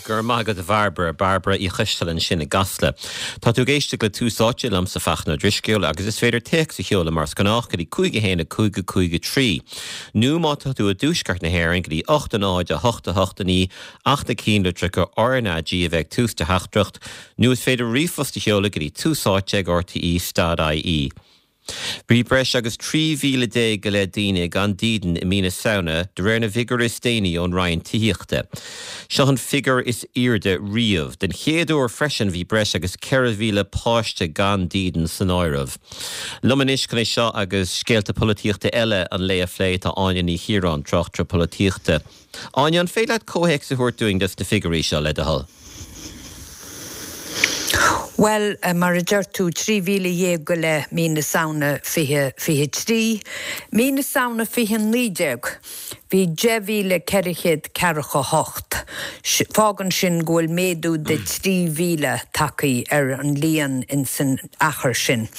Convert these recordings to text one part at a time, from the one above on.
Go raibh maith agat a Bhairbre, Bairbre Uí Choisteala ansin i gCasla. Tá tú ag éisteacht le Tús Áite liomsa Fachtna Ó Drisceoil agus is féidir téacs a sheoladh mar is gnách go dtí 5 1 5 5 3 nó má tá tú i dtuaisceart na hÉireann go dtí 8 0 8 8 9 ach na cinnlitreacha RnaG a bheith ag tús do theachtaireacht nó is féidir ríomhphost a sheoladh go dtí túsáite ag rte stad ie. Bhí breis agus 13,000 go leith daoine gan dídean i mí na Samhna, de réir na bhfigiúirí is déanaí ón Roinn Tithíochta. Seo an figiúr is airde riamh. Den chéad uair freisin bhí breis agus 4,000 páiste gan dídean san áireamh. Liom anois chun é seo agus scéalta polaitíochta eile an lae a phlé tá Áine Ní Chiaráin, tráchtaire polaitíochta. Áine, an féidir leat comhthéacs a thabhairt dúinn dos na figiúirí seo, le do thoil? Bhuel, mar a deir tú, 13,000 go leith mí na Samhna 2023. Mí na Samhna 2019, bhí 10,448. Fágann sin go bhfuil méadú de 3,000 tagtha ar an líon insan achar sin.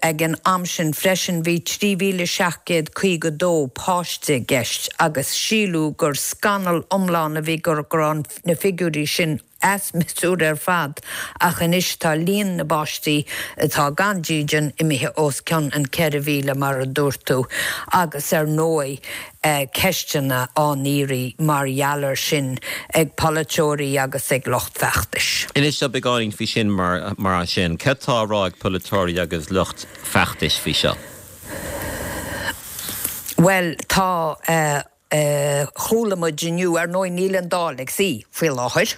Ag an am sin freisin bhí 3,752 páiste i gceist agus síleadh gur scannal iomlán a bhí go raibh na figiúirí sin as miosúr ar fad ach anois tá líon na bpáistí atá gan dídean imithe os cionn an 4,000 mar a dúirt tú agus ar ndóigh ceisteanna á n-iarraidh mar gheall air sin ag polaiteoirí agus ag lucht feachtais. Inis dom beagáinín faoi sin mar sin. Cad tá á rá ag polaiteoirí agus lucht feachtais faoi seo? Bhuel, tá. Chuala muid inniu, ar ndóigh níl an Dáil ag suí faoi láthair,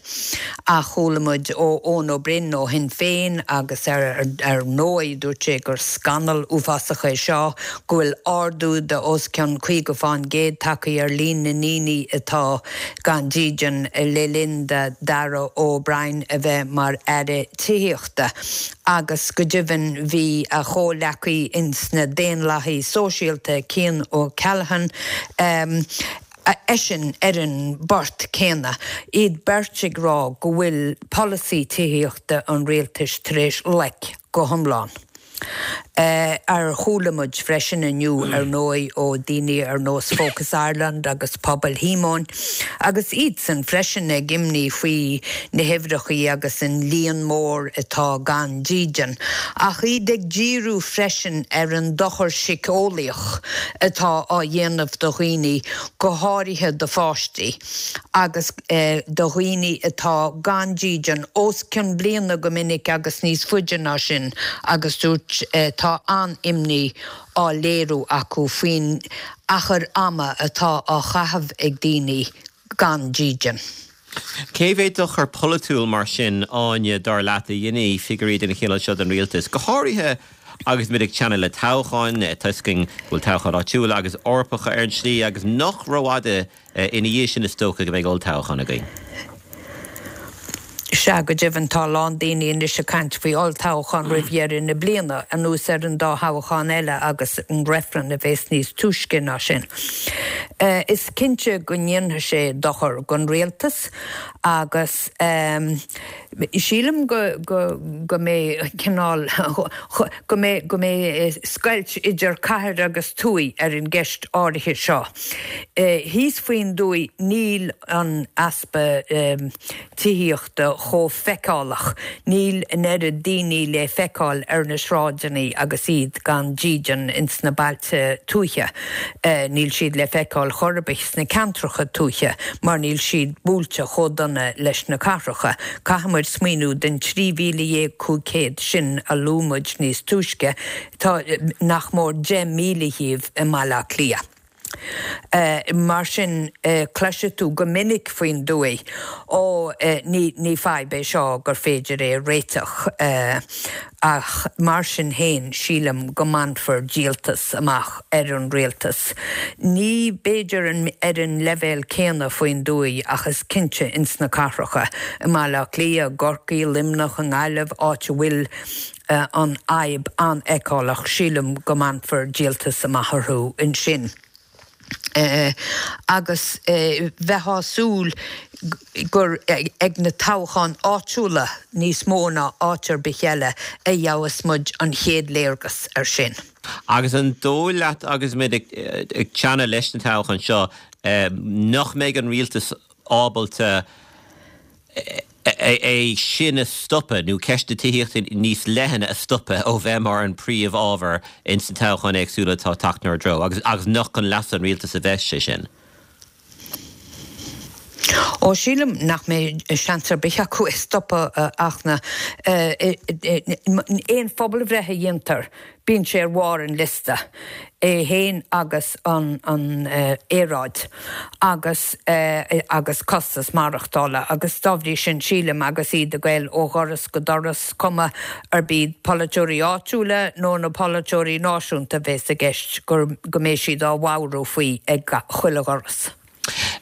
ach chuala muid ó Eoin Ó Broin ó Shinn Féin agus ar ndóigh dúirt sé gur scannal uafásach é seo, go bhfuil ardú de os cionn 50 fán gcéad tagtha ar líon na ndaoine atá gan dídean le linn do Darragh O'Brien a bheith mar Aire Tithíochta. Agus go deimhin bhí a chomhleacaí ins na Daonlathaigh Sóisialta, Cian O'Callaghan, eisean ar an bport céanna, iad beirt ag rá go bhfuil polasaí tithíochta an rialtais tar éis loic go hiomlán. Ar chuala muid freisin inniu, ar ndóigh, ó daoine ar nós Focus Ireland agus Pobal Shíomóin, agus iadsan freisin ag imní faoi na huimhreachaí agus an líon mór atá gan dídean, ach iad ag díriú freisin ar an dochar síceolaíoch atá á dhéanamh do dhaoine, go háirithe do pháistí. agus do dhaoine atá gan dídean os cionn bliana go minic agus níos faide ná sin agus dúirt tá an-imní á léiriú acu faoin achar ama atá á chaitheamh ag daoine gan dídean. Cé mhéad dochar polaitiúil mar sin, Áine, dar leat, a dhéanfaidh figiúirí den chineál seo don rialtas, go háirithe agus muid ag teannadh le toghcháin, tá a fhios againn go bhfuil toghcháin áitiúla agus Eorpacha ar an tslí agus nach rófhada Ina dhiaidh sin is dócha go mbeidh olltoghchán againn. Sea, go deimhin, tá a lán daoine anois ag caint faoi olltoghchán roimh dheireadh na bliana, anuas ar an dá thoghchán eile agus an reifreann a bheas níos túisce ná sin. Is cinnte go ndéanfaidh sé dochar don rialtas agus sílim go go mbeidh cineál go mbeidh go mbeidh scoilt idir cathair agus tuaith ar an gceist áirithe seo. Thíos faoin dtuaith níl an easpa tithíochta chomh feiceálach, níl an oiread daoine le feiceáil ar na sráideanna agus iad gan dídean ins na bailte tuaithe. Níl siad le feiceáil chor ar bith sna ceantracha tuaithe mar níl siad buailte chomh dona leis na cathracha. Caithfidh muid smaoineamh den 13,500 sin a luaigh muid níos túisce, tá nach mór 10,000 dhíobh i mBaile Átha Cliath. Mar sin, cloisfidh tú go minic faoin dtuaith, Ó, ní fadhb é seo gur féidir é a réiteach. Ach mar sin féin, sílim go mbainfear díoltas amach ar an rialtas. Ní b'fhéidir ar an leibhéal céanna faoin dtuaith ach is cinnte ins na cathracha, i mBaile Átha Cliath, i gCorcaigh, Luimneach, i nGaillimh, áit a bhfuil an fhadhb an-fheiceálach, sílim go mbainfear díoltas amach orthu ansin. Agus bheifeá ag súil gur ag na toghcháin áitiúla níos mó ná áit ar bith eile a gheobhas muid an chéad léargas air sin. Agus an dóigh leat agus muid ag teannadh leis na toghcháin seo nach mbeidh an rialtas ábalta. É sin a stopadh, nó ceist na tithíochta níos leithne a stopadh ó bheith mar an príomh-ábhar ins na toghcháin éagsúla atá ag teacht inár dtreo, agus nach chun leasa an rialtais a bheas sé sin. Ó, sílim nach mbeidh seans ar bith acu é stopadh ach na, aon phobalbhreith a dhéantar, bíonn sé ar bharr an liosta, é féin agus an aeráid agus agus costas maireachtála agus dá bhrí sin sílim agus iad ag goil ó dhoras go doras, cuma arb iad polaiteoirí áitiúla nó na polaiteoirí náisiúnta a bhéas i gceist, go mbeidh siad á mheabhrú faoi ag chuile dhoras.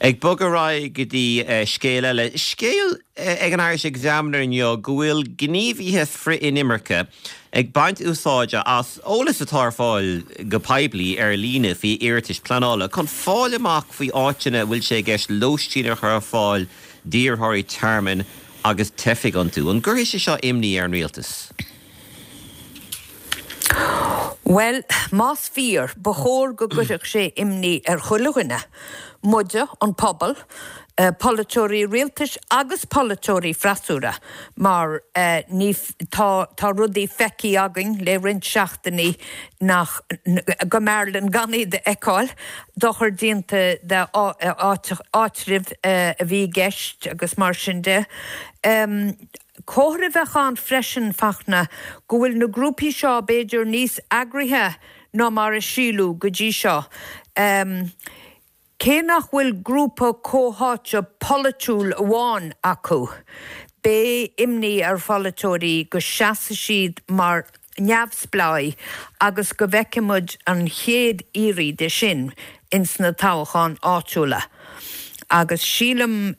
Ag bogadh ar aghaidh go dtí scéal eile. Scéal ag an Irish Examiner inniu go bhfuil gníomhaithe frith-inimirce ag baint úsáide as eolas atá ar fáil go poiblí ar líne faoi iarratais pleanála chun fáil amach faoi áiteanna a bhfuil sé i gceist lóistín a chur ar fáil d'iarrthóirí tearmainn agus teifigh iontu. An gcuirfidh sé seo imní ar an rialtas? Bhuel, más fíor, ba chóir go gcuirfeadh sé imní ar chuile dhuine, muide, an pobal, polaiteoirí rialtais agus polaiteoirí freasúra, mar ní, tá, tá rudaí feicthe againn le roinnt seachtainí nach, go mb'fhearr linn gan iad a fheiceáil, dochar déanta d'áitribh a bhí i gceist agus mar sin de. Comhartha a bheadh ann freisin, Fachtna, go bhfuil na grúpaí seo b'fhéidir níos eagraithe ná mar a síleadh go dtí seo. Cé nach bhfuil grúpa comhtháite polaitiúil amháin acu, beidh imní ar pholaiteoirí go seasfaidh siad mar neamhspleáigh agus go bhfeicfidh muid an chéad iarraidh de sin ins na toghcháin áitiúla. Agus sílim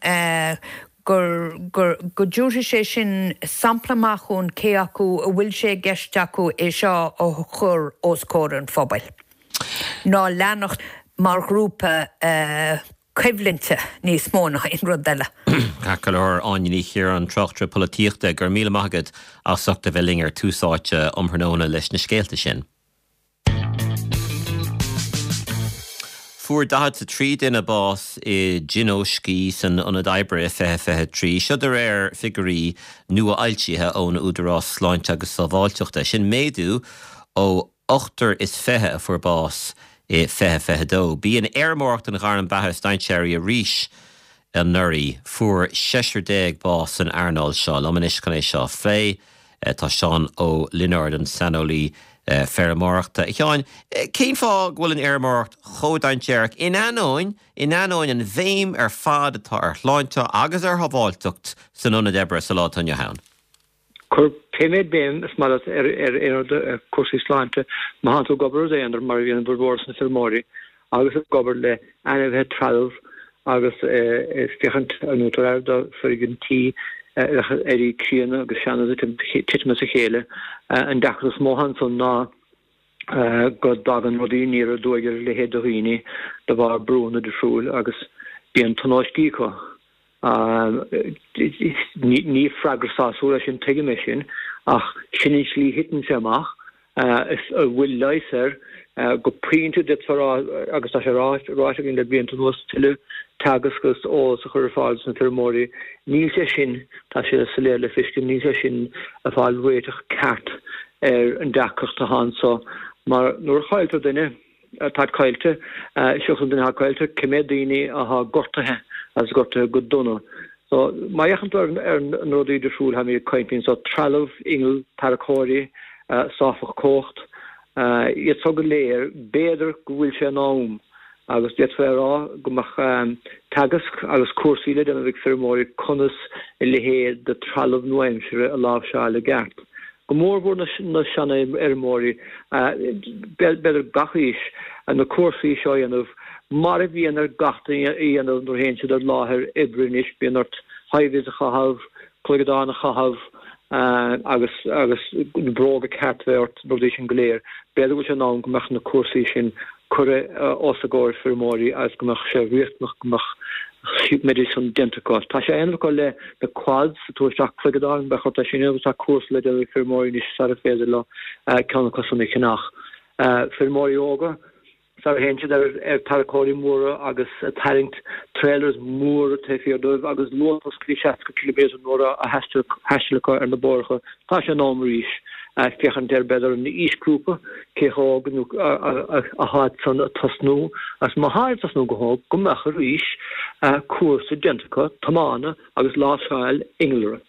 gur, gur, go dtabharfaidh sé sin sampla maith dhúinn cé acu a bhfuil sé i gceist acu é seo a chur os comhair an phobail ná leanacht mar ghrúpa coimhlinte níos mó ná aon rud eile. Ceart go leor, Áine Ní Chiaráin, tráchtaire polaitíochta, go raibh míle maith agat as ucht a bheith linn ar Tús Áite um thráthnóna leis na scéalta sin. Fuair 43 duine bás i dtionóiscí san ionad oibre i 2023, seo de réir figiúirí nua-fhoilsithe ón Údarás Sláinte agus Sábháilteachta. Sin méadú ó ochtar is 20 a fuair bás i 2022. B'í an fheirmeoireacht an ghairm beatha is dainséaraí arís anuraidh. Fuair seisear déag bás san earnáil seo. Liom anois chun é seo a phlé Tá Seán Ó Lionáird, an saineolaí feirmeoireachta. A Sheáin, cén fáth go bhfuil an fheirmeoireacht chomh dainséarach in ainneoin, in ainneoin an bhéim ar fad atá ar shláinte agus ar shábháilteacht san ionad oibre sa lá atá inniu ann? Cuir pé méid béim is maith leat ar aon rud, ar cúrsaí sláinte, má thánn tú ag obair i d'aonar, mar a bhíonn an bhformhór de na feirmeoirí, agus ag obair le ainmhithe, trealamh agus ag féachaint nó tabhair aire do foirgintí a bheadh ag éirí críonna agus sean agus ag titim as a chéile. An deacracht is mó ansan ná go dtagann rudaí aniar aduaidh ar a leithéid de dhaoine de bharr brúnna difriúil agus bíonn tionóiscí acu. Ní freagra sásúil é sin, tuigim é sin, ach sin an tslí a thiteann sé amach. Is a bhfuil leigheas air go pointe d'fhéadfá a rá, agus tá sé ráite againn le blianta anuas, tuilleadh teagasc agus eolas a chur ar fáil dos na feirmeoirí. Níl sé sin, tá sé soiléir le feiscint, níl sé sin ag fáil réiteach ceart ar an deacracht atá anso mar nuair a chailltear duine, táid caillte, seachas an duine atá caillte, cé méad daoine atá gortaithe agus gortaithe go dona. So, má fhéachann tú ar na rudaí difriúil táimid ag caint anso, trealamh, inneall, tarracóirí, sáfach cumhacht, iad so go léir, b'fhéidir go bhfuil sé in am agus d'fhéadfá a rá go mbeadh teagasc agus cúrsaí le déanamh ag feirmeoirí conas a leithéid de trealamh nua-aimsire a láimhseáil i gceart. Go mórmhór na seanfheirmeoirí, b'fhéidir gach aois, na cúrsaí seo a dhéanamh, mar a bhíonn ar gach duine a dhéanamh nuair a théann siad ar láthair oibre anois, bíonn ort high-vis a chaitheamh, cloigeadán a chaitheamh agus agus na bróga ceart a bheith ort, na rudaí sin go léir. B'fhéidir go bhfuil sé in am go mbeadh na cúrsaí sin curtha os a gcomhair feirmeoirí agus go mbeadh sé riachtanach go mbeadh mbeidís san déanta acu. Tá sé á dhéanamh acu le na quads, ag tabhairt isteach cloigeadáin, bheadh ort é sin a dhéanamh agus tá cúrsa le déanamh ag feirmeoirí anois sara féidir leo ceann acu san a cheannach. Feirmeoirí óga. Sar a théann siad ar tarracóirí móra agus ag tarraingt trailers móra taobh thiar dóibh agus luas go dtí 60 ciliméadar an uair á thaisteal acu ar na bóithre, tá sé in am arís féachaint ar b'fhéidir an aoisghrúpa, cé chomh hóg nó atá san ag tosnú agus má tá ag tosnú go hóg, go mbeadh arís cúrsa déanta acu tiomána agus láimhseáil innealra.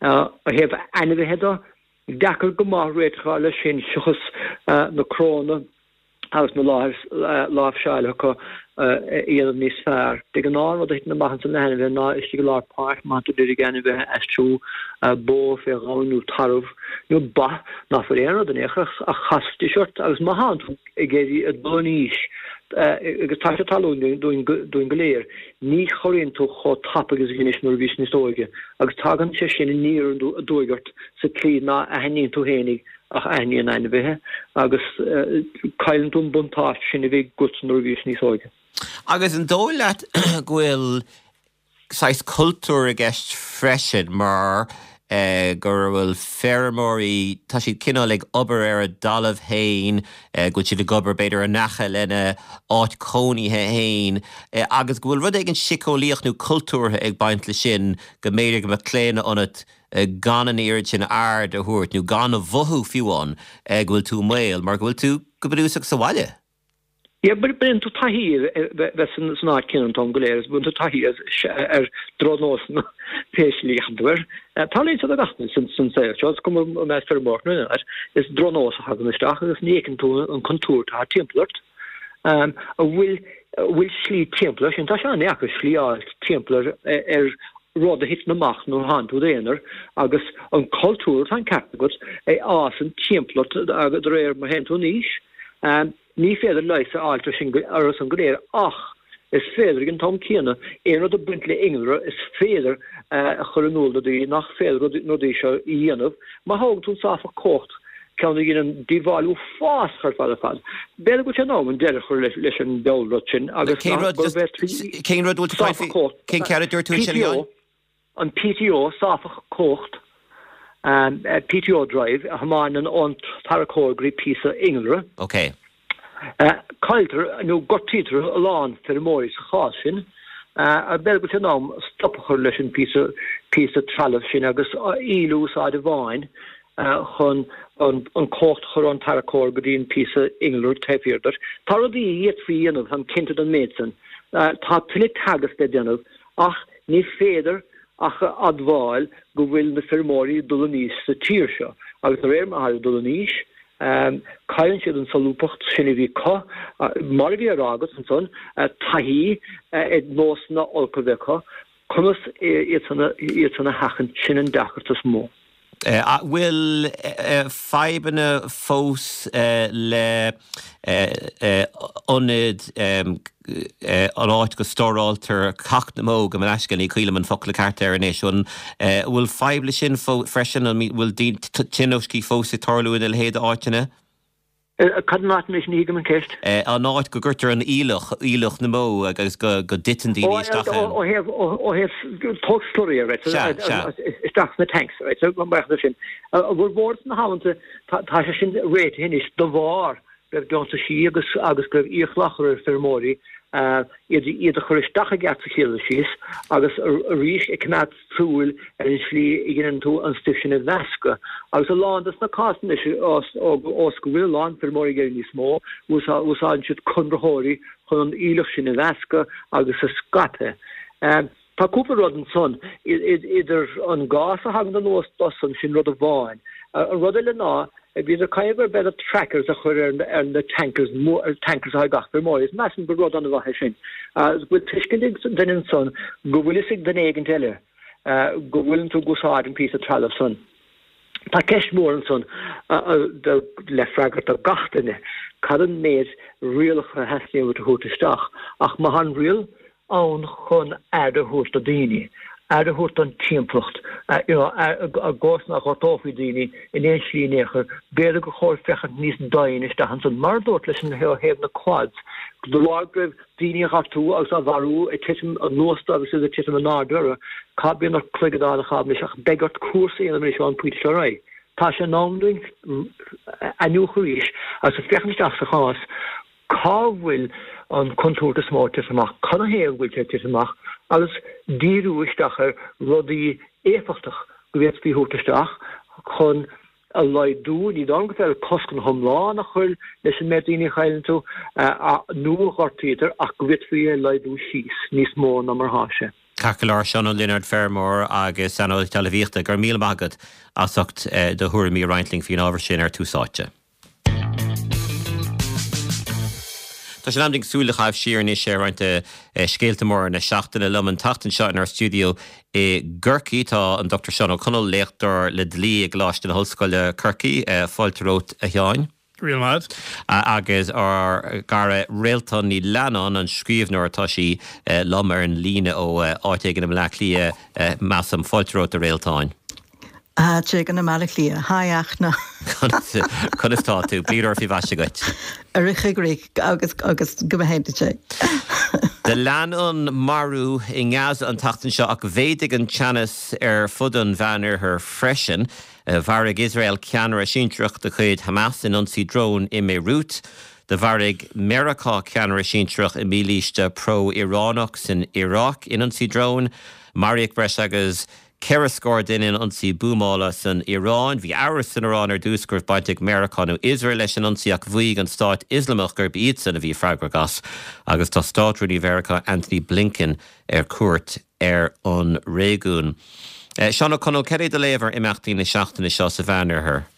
Ó thaobh ainmhithe de, deacair go maith réiteach a fháil leis sin seachas na crónna agus na láimhseáil acu a dhéanamh níos fearr. De ghnáth an rud a thiteann amach ansan le hainmhithe ná istigh i lár páirc má tá tú d'iarraidh ainmhithe a aistriú, bó fé ghamhain nó tarbh nó ba, ná fuil aon rud in aon chor ach chasfaidís ort agus má thánn tú ag éirí ag dul in aois agus tá sé ag tarlú dúinn go léir, ní chorraíonn tú chomh tapaidh agus a dheinis nuair a bhís níos óige agus tagann sé sin aniar aduaidh ort sa tslí ná aithníonn tú fhéinig ach aithníonn ainmhithe agus cailleann tú an buntáiste sin a bhí agat nuair a bhís níos óige. Agus an dóigh leat go bhfuil saghas cultúr i gceist freisin mar go bhfuil feirmeoirí, tá siad cineál ag obair ar a dtalamh féin, go bhfuil siad ag obair b'fhéidir in aice lena áit cónaithe féin agus go bhfuil rud éigin síceolaíoch nó cultúrtha ag baint leis sin go mb'fhéidir go mbeadh claonadh ionat gan an oiread sin aird a thabhairt, nó gan a mhothú fiú amháin, go bhfuil tú i mbaol, mar go bhfuil tú go bunúsach sa bhaile. Yeah, bíonn tú taithí ar bheith san áit céanna an t-am go léir agus bíonn tú taithí ar drochnósanna pé slí a dhéanann tú air. Tarlaíonn sé do gach duine san saol seo, is cuma an mbeidh feirmeoireacht nó aon áit, is drochnós a thagann isteach agus ní fheiceann tú an contúirt atá timpeall ort. An bhfuil bhfuil slí timpeall air sin? Tá sé an-deacair slí a fháil timpeall ar rud a thiteann amach nuair a thánn tú i d'aonar agus an cultúr, tá an ceart agat, a fhásann timpeall ort de réir mar a théann tú in aois. Ní féidir leigheas a fháilt orthu san go léir ach is féidir ag an t-am céanna aon rud ag baint le innealra is féidir a chur in iúl do daoine nach féidir na rudaí seo a dhéanamh. Má thógann tú an sáfach cumhacht ceann a dhéanann díobháil uafásach ar fad ar fad. B'fhéidir go bhfuil sé in am an deireadh a chur leis an diabhal rud sin agus Cén rud, just, cén rud bhfuil tú caint faoi? Cén ceann a dúirt tú ansin, a Sheáin? An PTO, sáfach cumhacht, PTO drive, a thiomáineann ón tarracóir go dtí píosa innealra. Ok. Cailltear nó gortaítear a lán feirmeoirí sa chás sin. B'fhéidir go bhfuil sé in am stop a chur leis an píosa trealaimh sin agus í a úsáid amháin chun an cumhacht a chur ón tarracóir go dtí an píosa innealra taobh thiar de. Tá rudaí a d'fhéadfaí a dhéanamh, táim cinnte den méid san. Tá tuilleadh teagasc le déanamh ach ní féidir ach a admháil go bhfuil na feirmeoirí ag dul in aois sa tír seo agus de réir mar atá siad ag dul in aois, cailleann siad an solúbthacht sin a bhí acu, mar a bhí á rá agat ansan, taithí ar nósanna olca a bheith acu, conas iad san a sheachaint, sin an deacracht is mó. An bhfuil fadhbanna fós le ionad, an áit go stóráiltear cac na mbó, gabh mo leithscéal, ní cuimhin liom an focal ceart air anois. An bhfuil fadhb le sin freisin? An bhfuil tionóiscí fós ag tarlú ina leithéid d'áiteanna? Cad an áit anois? Ní thuigim an ceist. An áit go gcuirtear an aoileach, aoileach na mbó agus go dtiteann daoine isteach ann. Ó thaobh, ó thaobh tóg slurry, right, Sea, sea. isteach sna tanks, right, so mar sin. A bhformhór sna hamanta, tá sé sin réitithe anois de bharr go raibh deontaisí agus agus go raibh iachall á chur ar feirmeoirí iad iad a chur isteach i gceart sa chéad dul síos agus arís ag coimeád súil ar an slí a dheineann tú an stuif sin a mheascadh. Agus a lán de sna cásanna anois, ós go bhfuil a lán feirmeoirí ag iarraidh níos mó, úsáideann siad conraitheoirí chun an aoileach sin a mheascadh agus a scaipeadh. Tá cúpla rud ansan, idir an gás a thagann anuas dó-san, sin rud amháin. An rud eile ná, bhíodar ag caint ar b'fhéidir trackers a chur ar na tankers, tankers atá ag gach feirmeoir, is measaim gur rud an-mhaith é sin. Go bhfuil tuiscint ag duine ansan go bhfuil fhios ag duine éigint eile go bhfuileann tú ag úsáid an píosa trealaimh san. Tá ceist mhór ansan le freagairt do gach duine, cad an méid rialacha a theastaíonn uait a thabhairt isteach? Ach má tá an riail ann chun aire a thabhairt do daoine, aire a thabhairt don timpeallacht, you know, i gcás nach ngortófaí daoine in aon slí in aon chor, b'fhéidir gur chóir féachaint níos doimhne isteach ansan. Mar a dúrt leis an ó thaobh na quads, de bharr go raibh daoine á ngortú agus á mharú ag titim anuas dóibh agus iad ag titim in airde orthu, cá bíonn ort cloigeadh a fháil anois ach beidh ort cúrsa a dhéanamh anois ón bpointe seo ar aghaidh. Tá sé in am dúinn iniúchadh arís agus féachaint isteach sa chás. Cá bhfuil an chontúirt is mó ag titim amach? Canathaobh go bhfuil sé ag titim amach? Agus díriú isteach ar rudaí éifeachtach go bhféadfaí a thabhairt isteach chun a laghdú, ní dóigh liom gur féidir cosc go hiomlán a chur leis an méid daoine a chailleann tú nó a ghortaítear ach go bhféadfaí é a laghdú síos níos mó ná mar atá sé. Ceart go leor, Seán Ó Lionáird, feirmeoir agus saineolaí talmhaíochta, go raibh míle maith agat as ucht do thuairimí a roinnt linn faoin ábhar sin ar Tús Áite. Tá sé in am dúinn súil a chaitheamh siar anois ar roinnt de scéalta móra na seachtaine. Liom an tseachtain seo inár stiúideo i gCorcaigh tá an Dr Seán Ó Conaill, léachtóir le dlí i gColáiste na hOllscoile, Corcaigh. Fáilte romhat, a Sheáin. Go raibh míle maith agat. Agus ár gcara Réaltán Ní Leannáin, an scríbhneoir, tá sí liom ar an líne ó áit éigin i mBleá Cliath, measaim. Fáilte romhat, a Réaltáin. Áit éigin i mBaile Átha Cliath. Hi Fhachtna. Conas tá tú? Bliain úr faoi mhaise dhuit. Ar a choigrích agus agus go mba hé duit é. Do lean an marú i nGaza an tseachtain seo ach mhéadaigh an teannas ar fud an Mheánoirthir freisin. Mharaigh Iosrael ceannaire sinsearach de chuid Hamas in ionsaí drón i mBeirút. Do mharaigh Meiriceá ceannaire sinsearach i mílíste pro-Ioránach san Iaráic in ionsaí dróin. Maraíodh breis agus Ceithre scór duine in ionsaí buamála san Iaráin. Bhí amhras san Iaráin ar dtús go raibh baint ag Meiriceá nó Iosrael leis an ionsaí ach mhaígh an Stát Ioslamach gurb iadsan a bhí freagrach as agus tá Státrúnaí Mheiriceá Antony Blinken ar cuairt ar an réigiún. Seán Ó Conaill, cad é do léamh ar imeachtaí na seachtaine seo sa Mheánoirthear?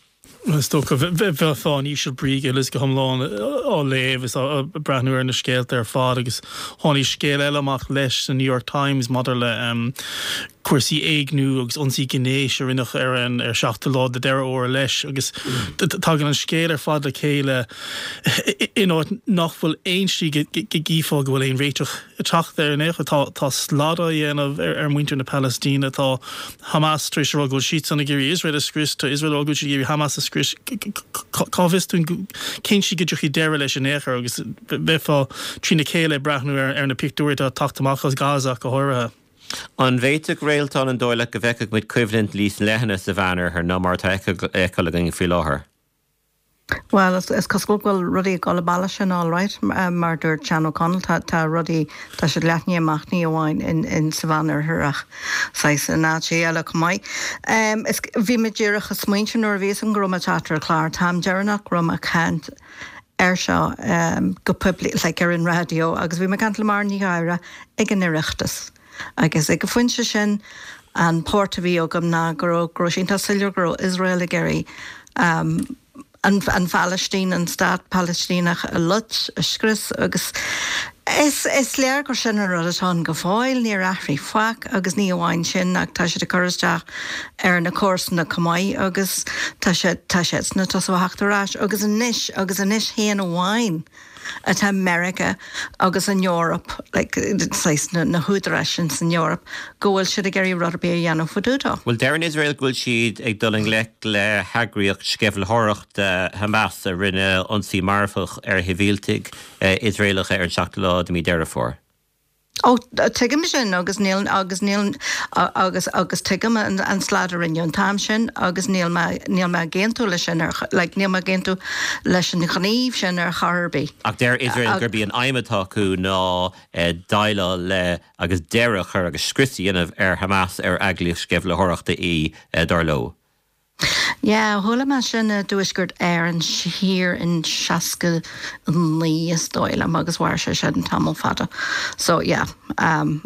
Is dócha, bheifeá in íseal brí uilig go hiomlán á léamh is á breathnú ar na scéalta ar fad agus tháinig scéal eile amach leis sa New York Times maidir le cúrsaí éigniú agus ionsaí gnéis a rinneadh ar an ar seachtú lá de Deireadh Fhómhair leis agus tagann an scéal ar fad le chéile in áit nach bhfuil aon slí go gcífeá go bhfuil aon réiteach ag teacht air in aon chor. Tá tá slad á dhéanamh ar mhuintir na Palaistíne, tá Hamas tar éis a rá go bhfuil siadsan ag iarraidh Iosrael a scrios, tá Iosrael ag rá go bhfuil siad ag iarraidh Hamas a scrios. Cá bhfios dúinn cén tslí go dtiocfaidh deireadh leis in aon chor agus bheifeá trína chéile ag breathnú ar na pictiúirí atá ag teacht amach as Gaza ach go háirithe. An bhféadfadh, Réaltán, an dóigh leat go bhfeicfeadh muid coimhlint níos leithne sa Mheánoirthear ná mar atá á fheiceáil againn faoi láthair? Bhuel, is cosúil go bhfuil rudaí ag dul an bealach sin alright, mar a dúirt Seán Ó Conaill, tá, tá rudaí, tá siad leathnaithe amach ní amháin in, in sa Mheánoirthear ach saghas in áiteacha eile chomh maith. Is, bhí mé díreach ag smaointiú nuair a bhí fhios agam go raibh mé ag teacht ar an chlár, an t-am deireanach go raibh mé ag caint air seo go poiblí, like ar an raidió agus bhí mé ag caint le Máire Ní Ghadhra ag an Oireachtas. Agus ag an phointe sin, an port a bhí agam ná go raibh, go raibh sé iontach soiléir go raibh Iosrael ag iarraidh an, an Phalaistín, an stát Palaistíneach a loit, a scrios agus is, is léir gur sin an rud atá ann go fóill, níor athraigh faic agus ní amháin sin ach tá siad ag cur isteach ar na comharsana chomh maith agus tá sé, tá siadsan ag tosú a theacht ar ais agus anois, agus anois féin amháin. atá Meiriceá agus an Eoraip, like, saghas na, na húdaráis sin san Eoraip, go bhfuil siad ag iarraidh rud ar bith a dhéanamh fá dtaobh dó. Bhuel, deireann Iosrael go bhfuil siad ag dul i ngleic le heagraíocht sceimhlitheoireachta Hamas a rinne ionsaí marfach ar shibhialtaigh Iosraelacha ar an seachtú lá de mhí Deireadh Fómhair. Ó, tuigim sin agus níl, agus níl, agus, agus tuigim an, an slad a rinneadh an t-am sin agus níl mé, níl mé ag aontú leis sin ar, like, níl mé ag aontú leis an ghníomh sin ar chor ar bith. Ach deir Iosrael gurb í an aidhm atá acu ná déileáil le agus deireadh a chur agus scrios a dhéanamh ar Hamas ar eagraíocht sceimhlitheoireachta í, dar leo. Yeah, chuala mé sin i dTuaisceart Éireann thiar in 69 is dóigh liom agus mhair sé sin tamall fada. So yeah, um,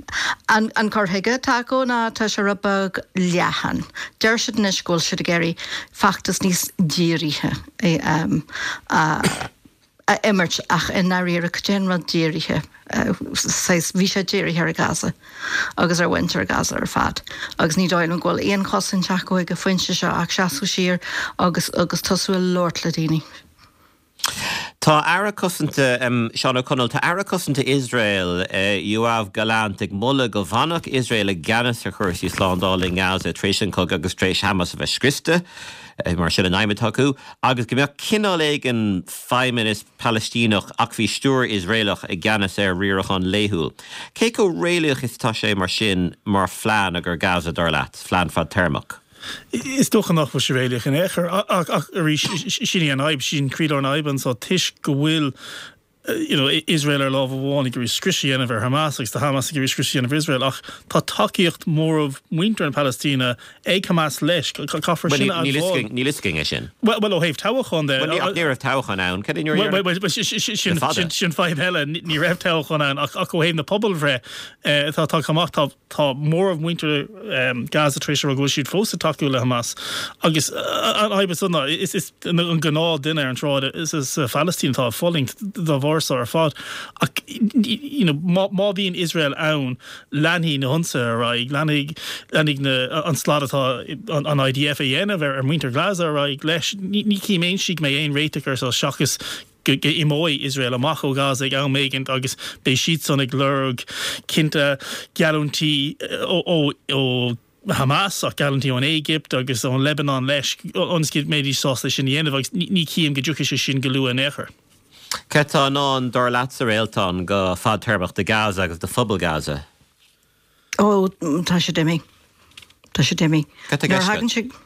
an, an cur chuige atá acu ná tá sé rud beag leathan. Deir siad anois go bhfuil siad ag iarraidh feachtas níos dírithe um, a, a imirt ach i ndáiríre cad é an rud dírithe, saghas, bhí sé dírithe ar Gaza agus ar mhuintir Gaza ar fad agus ní dóigh liom go bhfuil aon chosaint acu ag an phointe seo ach seasamh siar agus agus tosú ag labhairt le daoine. Tá Aire Cosanta, Seán Ó Conaill, tá Aire Cosanta Iosrael, Yoav Gallant ag moladh go bhfanfadh Iosrael i gceannas ar chúrsaí slándála i nGaza tar éis an chogaidh agus tar éis Hamas a bheith scriosta. Mar sin an aidhm atá acu, agus go mbeadh cineál éigin feidhmeannas Palaistíneach ach faoi stiúir Iosraelach i gceannas ar riarachán laethúil. Cé chomh réalaíoch is atá sé mar sin mar phlean ar Gaza, dar leat, phlean fadtéarmach? Is dócha nach bhfuil sé réalaíoch in aon chor, ach arís, sin í an fhadhb, sin croílár na fadhbe anseo, toisc go bhfuil. you know, Iosrael ar lámh amháin ag iarraidh scrios a dhéanamh ar Hamas agus tá Hamas ag iarraidh scrios a dhéanamh ar Iosrael ach tá tacaíocht móramh muintir na Palaistíne ag Hamas leis. Caithfear sin a admháil. Níl fhios againn é sin. Bhuel, ó thaobh toghchán de. Bhuel, ní raibh toghchán ann. Cad é nuair a Bhuel, sin fadhb eile. Ní raibh toghchán ann ach ó thaobh na pobalbhreith atá tagtha amach, tá Tá móramh muintir Gaza tar éis a rá go bhfuil siad fós ag tacú le Hamas agus an fhadhb is ná is an gnáth duine ar an tsráid sa Phalaistín atá ag fulaingt dá bharr seo ar fad. Ach you know má bhíonn Iosrael ann leanfaidh na hionsaithe ar aghaidh, leanfaidh leanfaidh na an slad atá an IDF a dhéanamh ar mhuintir Ghaza ar aghaidh leis. Ní chím aon slí go mbeidh aon réiteach ar seo seachas go n-imeoidh Iosrael amach ó Ghaza ag am éigint agus beidh siadsan ag lorg cinnte geallúintí ó Hamas ach geallúintí ón Éigipt agus ón Lebanon leis ionas go mbeidís sásta é sin a dhéanamh agus ní chím go dtiocfaidh sé sin go luath in aon chor. Cad tá i ndán, dar leatsa, a Réaltán, go fadtéarmach do Gaza agus do phobal Gaza? Ó, tá siad imithe. Tá siad imithe. Cad tá i gceist agat?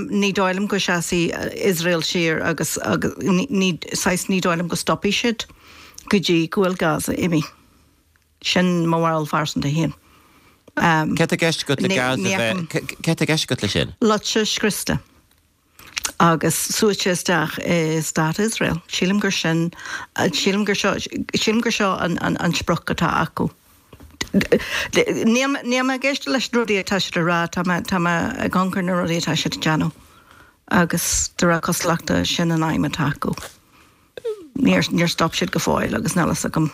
Ní dóigh liom go seasfaidh Iosrael siar agus ní, saghas, ní dóigh liom go stopfaidh siad go dtí go bhfuil Gaza imithe. Sin mo bharúil phearsanta féin. Cad tá i gceist agat le Gaza bheith, cad tá i gceist agat leis sin? Loite scriosta. agus suaite isteach i Stát Iosrael. Sílim gur sin, sílim gur seo, sílim gur seo an, an, an sprioc atá acu. Níl, níl mé ag éisteacht leis na rudaí atá siad a rá, tá mé, tá mé ag amharc ar na rudaí atá siad ag déanamh agus de réir cosúlachta sin an aidhm atá acu. Níor, níor stop siad go fóill agus níl fhios agam,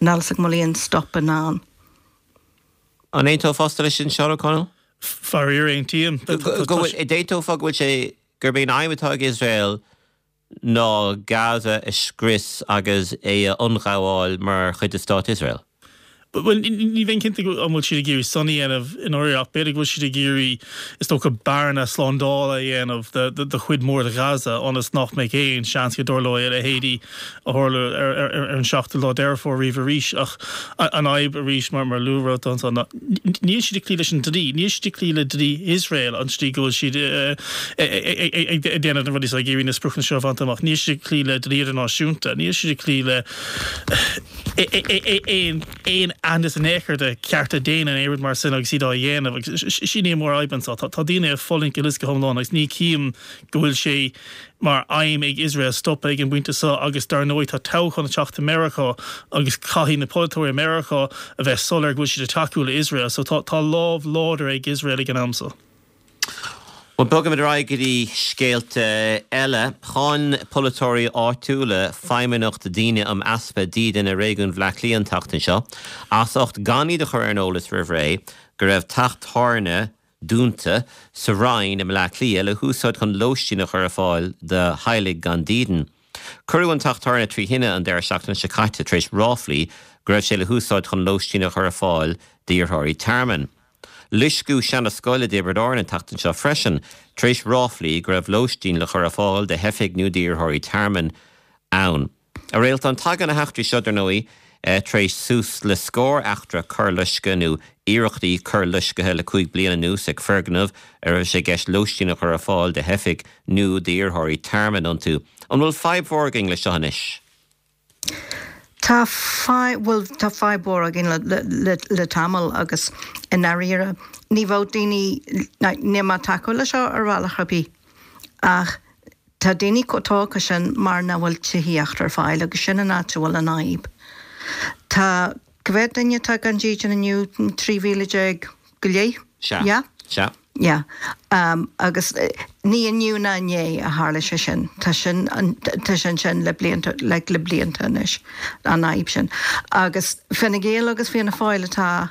níl fhios agam an bhfuil aon stop i ndán. An aontófása leis sin, Seán O'Connell? Faraor, aontaím. Go bhfuil, d'aontófá go bhfuil sé, gurb é an aidhm atá ag Iosrael ná Gaza a scrios agus é a ionghabháil mar chuid de Stát Iosrael? Bhuel, ní bheinn cinnte an bhfuil siad ag iarraidh san a dhéanamh i ndáiríre ach b'fhéidir go bhfuil siad ag iarraidh, is dócha, bearna slándála a dhéanamh de chuid mhór de Ghaza ionas nach mbeidh aon seans go dtarlóidh a leithéidí a tharla ar an seachtú lá Deireadh Fómhair riamh arís. Ach an fhadhb arís, mar a luaigh Réaltán ansan, ná níl siad ag cloí leis an dlí. Níl siad ag cloí le dlí Iosrael, an tslí go bhfuil siad ag déanamh na rudaí seo, ag iarraidh na spriocanna seo a bhaint amach. Níl siad ag cloí le dlí idirnáisiúnta. Níl siad ag cloí le aon aitheantas in aon chor de chearta daonna nó aon rud mar sin agus iad á dhéanamh. Agus sin í an mhórfhadhb anseo. Tá daoine ag fulaingt uilig go hiomlán agus ní chím go bhfuil sé mar aidhm ag Iosrael stopadh ag an bpointe seo agus dar ndóigh tá toghchán ag teacht i Meiriceá agus caithfidh na polaiteoirí i Meiriceá a bheith soiléir go bhfuil siad ag tacú le Iosrael so tá tá lámh láidir ag Iosrael ag an am seo. Bhuel, bogaimid ar aghaidh go dtí scéalta eile. Cháin polaiteoirí áitiúla Feidhmeannacht Daoine um Easpa Dídine Réigiún Bhaile Átha Cliath an tseachtain seo as ucht gan iad a chur ar an eolas roimh ré go raibh teach tábhairne dúnta sa Rinn i mBleá Cliath le húsáid chun lóistín a chur ar fáil do theaghlaigh gan dídean. Cuireadh an teach tábhairne trí thine an deireadh seachtaine seo caite tar éis ráflaí go raibh sé le húsáid chun lóistín a chur ar fáil d'iarrthóirí tearmainn. Loisceadh seana-scoil i dTiobraid Árann an tseachtain seo freisin tar éis ráflaí go raibh lóistín le chur ar fáil do theifigh nó d'iarrthóirí tearmainn ann. A Réaltán, tagann na heachtraí seo, dar ndóigh, tar éis suas le scór eachtra coirloiscthe nó iarrachtaí coirloiscthe le 5 bliana anuas ag foirgnimh a raibh sé i gceist lóistín a chur ar fáil do theifigh nó d'iarrthóirí tearmainn iontu. An bhfuil fadhb mhór againn leis seo anois? Tá fadhb, bhuel, tá fadhb mhór againn le, le, le tamall agus i ndáiríre ní bheadh daoine, níl mé ag tacú leis seo ar bhealach ar bith ach Tá daoine chomh tógtha sin mar nach bhfuil tithíocht ar fáil agus sin an áit a bhfuil an fhadhb. Tá, cá mhéad duine atá gan dídean inniu? 13,000 go leith? Sea. Yeah? Sea. Yeah. Agus ní inniu ná inné a tharla sé sin. Tá sin, tá sé ansin le blianta, like le blianta anois, an fhadhb sin. Agus Fine Gael agus Fianna Fáil atá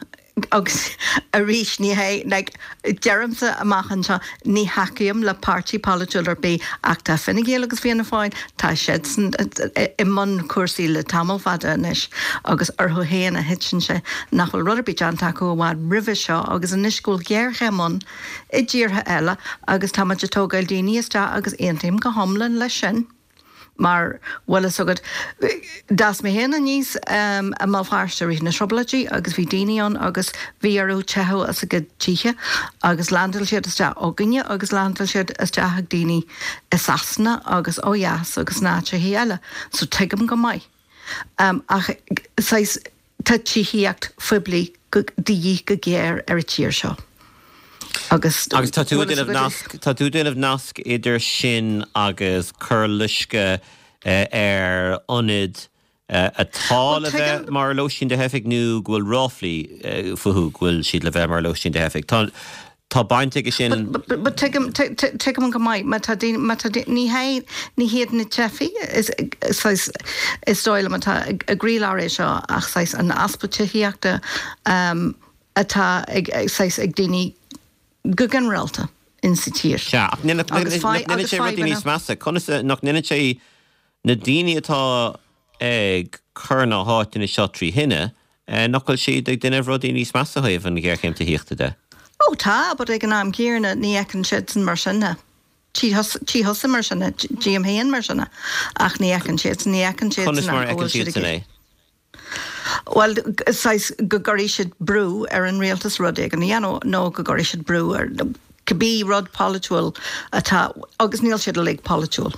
Agus arís, ní hé, like, deirimse amach anseo, ní thacaím le páirtí polaitiúil ar bith ach tá Fine Gael agus Fianna Fáil, tá siadsan i mbun cúrsaí le tamall fada anois agus orthu féin a thiteann sé nach bhfuil rud ar bith déanta acu i bhfad roimhe seo agus anois go bhfuil géarchéim ann i dtíortha eile agus táimid ag tógáil daoine isteach agus aontaím go hiomlán leis sin. Mar, bhfuil fhios agat, d'fhás mé féin aníos i mBéal Feirste i rith na Trioblóidí agus bhí daoine ann agus bhí orthu teitheadh as a gcuid tithe agus leaindeáil siad isteach againne agus leaindeáil siad isteach ag daoine i Sasana agus ó dheas agus in áiteacha eile. So tuigim go maith. Ach saghas. Tá tithíocht phoiblí de dhíth go géar ar an tír seo agus. Agus tá tú ag déanamh nasc, tá tú ag déanamh nasc idir sin agus cur loisceadh ar ionaid atá le bheith mar lóistín do theifigh nó go bhfuil ráflaí fúthu go bhfuil siad le bheith mar lóistín do theifigh. Tá. Tá baint aige sin. But tuigim, tuigim go maith, má tá daoine, má tá daoine, ní hé, ní hiad na teifigh is, saghas, is dóigh liom atá i gcroílár é seo ach saghas an easpa tithíochta atá ag, saghas, ag daoine go ginearálta in sa tír. Sea, ach nach ndéanann sé rudaí níos measa? Conas, nach ndéanann sé na daoine atá ag cur na háiteanna seo trí thine, nach bhfuil siad ag déanamh rudaí níos measa ó thaobh an ghéarchéim tithíochta de? Ó tá, but ag an am céanna ní fheiceann siadsan mar sin é. Tchí thusa mar sin é, tchím féin mar sin é, ach ní fheiceann siadsan, ní fheiceann siadsan Conas mar a fheiceann siadsan é? Bhuel, saghas go gcuirfidh siad brú ar an rialtas rud éigin a dhéanamh nó go gcuirfidh siad brú ar cibé rud polaitiúil atá, agus níl siad uilig polaitiúil.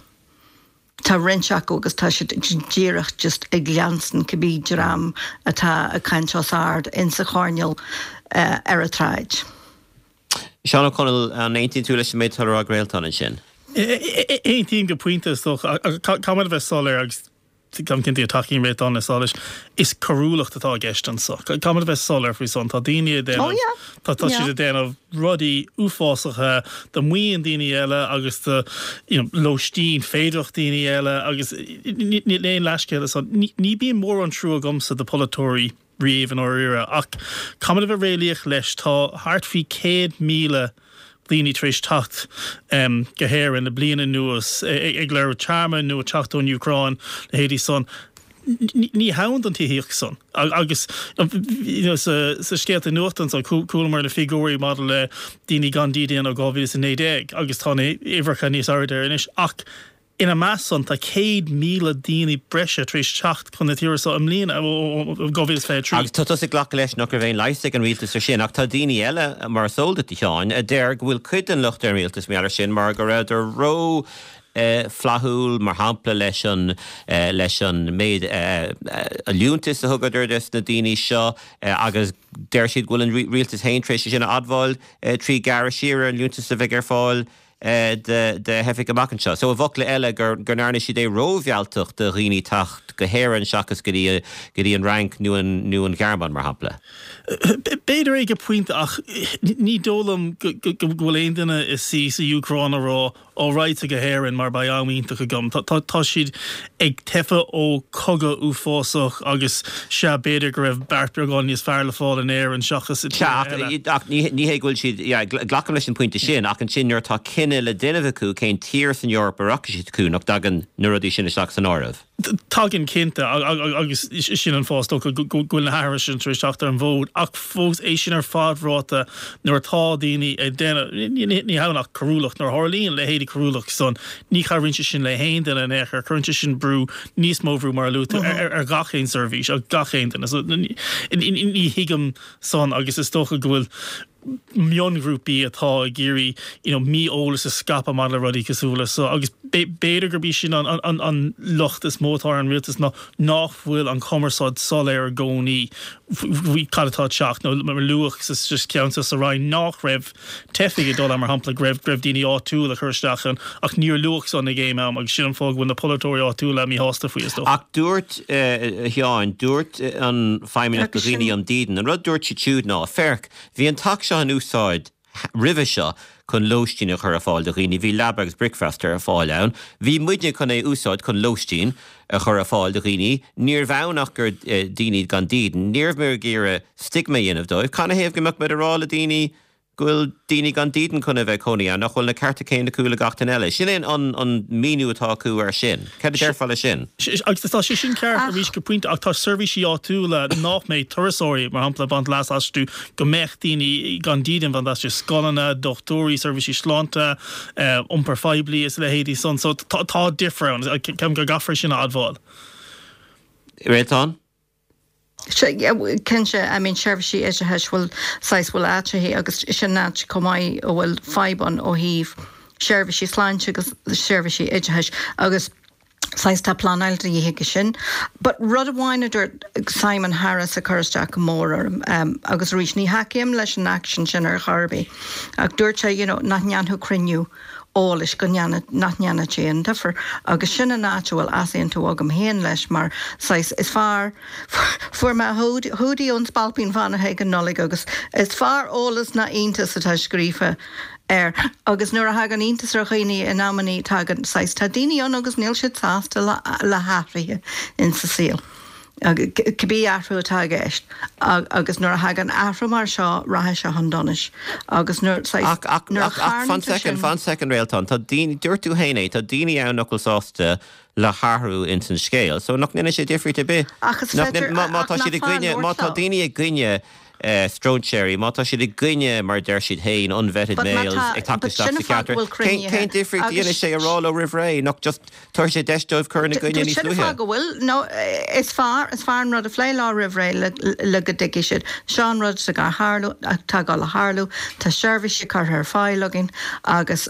Tá roinnt acu agus tá siad díreach just ag leanstan cibé dream atá ag caint os ard insa choirnéal ar an tsráid. Seán Ó Conaill, an aontaíonn tú leis an méid atá le rá ag Réaltán ansin? Aontaím go pointe, is dócha. Caithfidh muid a bheith soiléir agus táim cinnte go dtacaíonn Réaltán le leis, is coiriúlacht atá i gceist anso. Caithfidh muid a bheith soiléir faoi san. Tá daoine ag déanamh, tá siad ag déanamh rudaí uafásacha do mhaoin daoine eile agus do you know lóistín féideartha daoine eile agus níl aon leithscéal ansan. Ní bíonn mórán trua agamsa do pholaiteoirí riamh i ndáiríre ach caithfidh muid a bheith réalaíoch leis, tá thart faoi 100,000 daoine tar éis teacht go hÉirinn le bliain anuas ag lorg tearmainn nó ag teacht ón Úcráin, leithéidí san. Ní hann don tithíocht san. Agus sa scéalta nuachta ansan, chualamar na figiúirí maidir le daoine gan dídean ó 2019 agus tá na huimhreacha níos airde anois ach Ina measc san, tá 100,000 daoine breise tar éis teacht chun na tíre seo i mbliana, ó 2023. Agus tá tusa ag glacadh leis nach raibh aon leigheas ag an rialtas ar sin, ach tá daoine eile, mar is eol duit, a Sheáin, a deir go bhfuil cuid den locht ar an rialtas mar gheall air sin mar go rabhadar ró flaithiúil, mar shampla, leis an leis an méid liúntais a thugadar dos na daoine seo agus deir siad go bhfuil an rialtas féin tar éis é sin a admháil trí gearradh siar ar an liúntas a bheidh ar fáil do theifigh amach anseo. So, i bhfocla eile, go ndearna siad é rómhealltach do dhaoine teacht go hÉirinn seachas go dtí go dtí an Fhrainc nó an nó an Ghearmáin, mar shampla. B'fhéidir é go pointe ach ní dóigh liom go bhfuil aon duine ina suí sa Úcráin ag rá Ó, raghadsa go hÉirinn mar beidh am iontach agam. Tá siad ag teitheadh ó chogadh uafásach agus sea, b'fhéidir go raibh beart beagán níos fearr le fáil in Éirinn seachas i tíortha eile. Sea, ach ní hé go bhfuil siad, yeah, glacaim leis an bpointe sin, ach ansin nuair atá cinneadh le déanamh acu cén tír san Eoraip a rachaidh siad chucu, nach dtagann na rudaí sin isteach san áireamh? Tagann cinnte, agus sin an fáth is dócha go bhfuil na hathruithe sin tar éis teacht ar an bhfód, ach fós é sin ar fad ráite nuair atá daoine ag déanamh, ní hamháin ach coiriúlacht, nuair a tharlaíonn leithéidí coiriúlacht san, ní chabhraíonn sé sin le haon duine in aon chor, cuireann sé sin brú, níos mó bhrú mar a luaigh tú, ar gach aon seirbhís, ar gach aon duine. So ní thuigim san agus is dócha go bhfuil mionghrúpaí atá ag iarraidh you know mí-eolas a scaipeadh maidir le rudaí cosúil le so agus b'fhéidir gurb í sin an an an locht is mó atá ar an rialtas ná nach bhfuil an chumarsáid soiléir i gcónaí faoi cad atá ag teacht nó mar a luadh sa cheann seo sa Rinn nach raibh teifigh ag dul ann mar shampla go raibh go raibh daoine áitiúla ag cur isteach ann ach níor luadh san ag aon am agus sin an fáth go bhfuil na polaiteoirí áitiúla míshásta faoi is dócha. Ach dúirt, a Sheáin, dúirt an Feidhmeannacht do Dhaoine um Dhídean, an rud dúirt siad siúd ná, féach, Bhí an t-acht seo in úsáid roimhe seo chun lóistín a chur ar fáil do dhaoine, bhí leaba agus bricfeasta ar fáil ann. Bhí muidne chun é a úsáid chun lóistín a chur ar fáil do dhaoine. Níorbh ann ach gur daoine gan dídean. Ní raibh muid ag iarraidh stigma a dhéanamh dóibh. Canathaobh go mbeadh muid ag rá le daoine. go bhfuil daoine gan dídean chun a bheith cónaí ann, nach bhfuil na cearta céanna acu le gach duine eile. Sin é an míniú atá acu air sin. Cad a déarfá leis sin? Agus tá sé sin ceart arís go pointe ach tá seirbhísí áitiúla nach mbeidh turasóirí, mar shampla, ag baint leas astu, go mbeadh daoine gan dídean ag baint leas astu, scoileanna, dochtúirí, seirbhísí sláinte, iompar phoiblí is a leithéidí san. So tá difear ann. Ceapaim go gcaithfear sin a admháil. Réaltán? Cinnte, I mean seirbhísí oideachais, bhfuil saghas, bhfuil áiteachaí agus sin áit chomh maith a bhfuil fadhb ann ó thaobh seirbhísí sláinte agus seirbhísí oideachais agus saghas tá pleanáil de dhíth aige sin. But rud amháin a dúirt Simon Harris a chuir isteach go mór orm agus arís ní thacaím leis an aicsean sin ar chor ar bith ach dúirt sé you know nach ndéanfadh cruinniú eolais go ndéanfadh, nach ndéanfadh sé aon difear. Agus sin an áit a bhfuil easaontú agam féin leis mar, saghas, is fearr, fuair mé hoodie ón Spailpín Fánach ag an Nollaig agus is fearr eolas ná iontas atá scríofa air. Agus nuair a thagann iontas ar dhaoine in amannaí tagann, saghas, tá daoine ann agus níl siad sásta le, le hathruithe insa saol. cibé athrú atá i gceist agus nuair a thagann athrú mar seo rachaidh sé chun donais agus nuair, saghas, Ach, ach, nuair a ach, ach, fan charnaítear soicind, sin. fan soicind, Réaltán, tá daoine, dúirt tú féin é, tá daoine ann nach bhfuil sásta le hathrú ins an scéal, so nach ndéanann sé difríocht ar bith? Ach is Nach féidir, ndéan, má, má ach tá nach siad i fearr gcoinne, má labhairt tá leo. daoine i gcoinne stróinséirí, má tá siad i gcoinne, mar a deir siad féin, unvetted But má males tá, ag teacht but isteach sin sa an fáth cheantar, go bhfuil cén, cruinnithe cén difríocht a agus dhéanfaidh sé a rá leo roimh ré, nach just tabharfaidh sé deis dóibh cur ina gcoinne níos Sin an luaithe? fáth go bhfuil, no, is fearr, is fearr an rud a phlé leo roimh ré le, le go dtuigfidh siad, seo an rud atá ag tarlú, atá ag dul a tharlú, tá seirbhísí curtha ar fáil againn agus,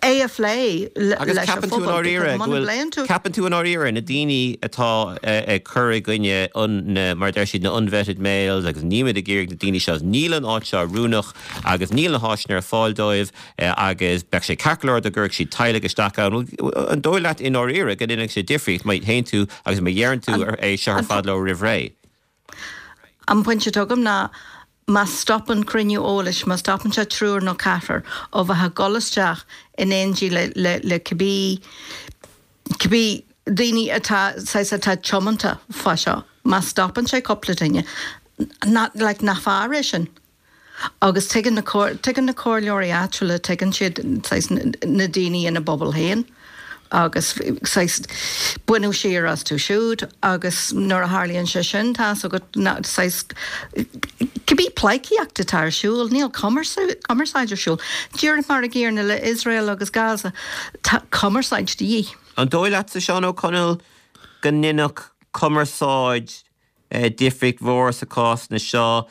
é a phlé Agus leis an ceapann tú i phobal ndáiríre because go muna bhfuil, bpléann tú. ceapann tú i ndáiríre na daoine atá ag cur i gcoinne an, na, mar a deir siad, na unvetted males agus nílimid ag iarraidh na daoine seo, níl an áit seo oiriúnach agus níl na háiseanna ar fáil dóibh agus beadh sé ceart go leor dá gcuirfeadh siad teaghlaigh isteach ann. Bhuel, an dóigh leat i ndáiríre go ndéanfadh sé difríocht má théann tú agus má dheireann tú An, é seo ar an, fad leo roimh ré? an pointe atá agam ná Má stopann cruinniú eolais, má stopann sé triúr nó ceathrar ó bheith ag dul isteach in éindí le, le, le cibé, cibé daoine atá, saghas, atá tiomanta fá seo, má stopann sé cúpla duine, nach, like, nach fearr é sin? Agus tuigeann na, tuigeann na comhairleoirí áitiúla, tuigeann siad, saghas, na daoine ina bpobal féin. agus saghas baineadh siar astu siúd agus nuair a tharlaíonn sé sin tá's agat saghas cibé pleidhcíocht atá ar siúl, níl cumarsáid ar siúl. Díreach mar an gcéanna le Iosrael agus Gaza, tá cumarsáid de dhíth. An dóigh leatsa, Seán Ó Conaill, go ndéanfadh cumarsáid difríocht mhór sa cásanna seo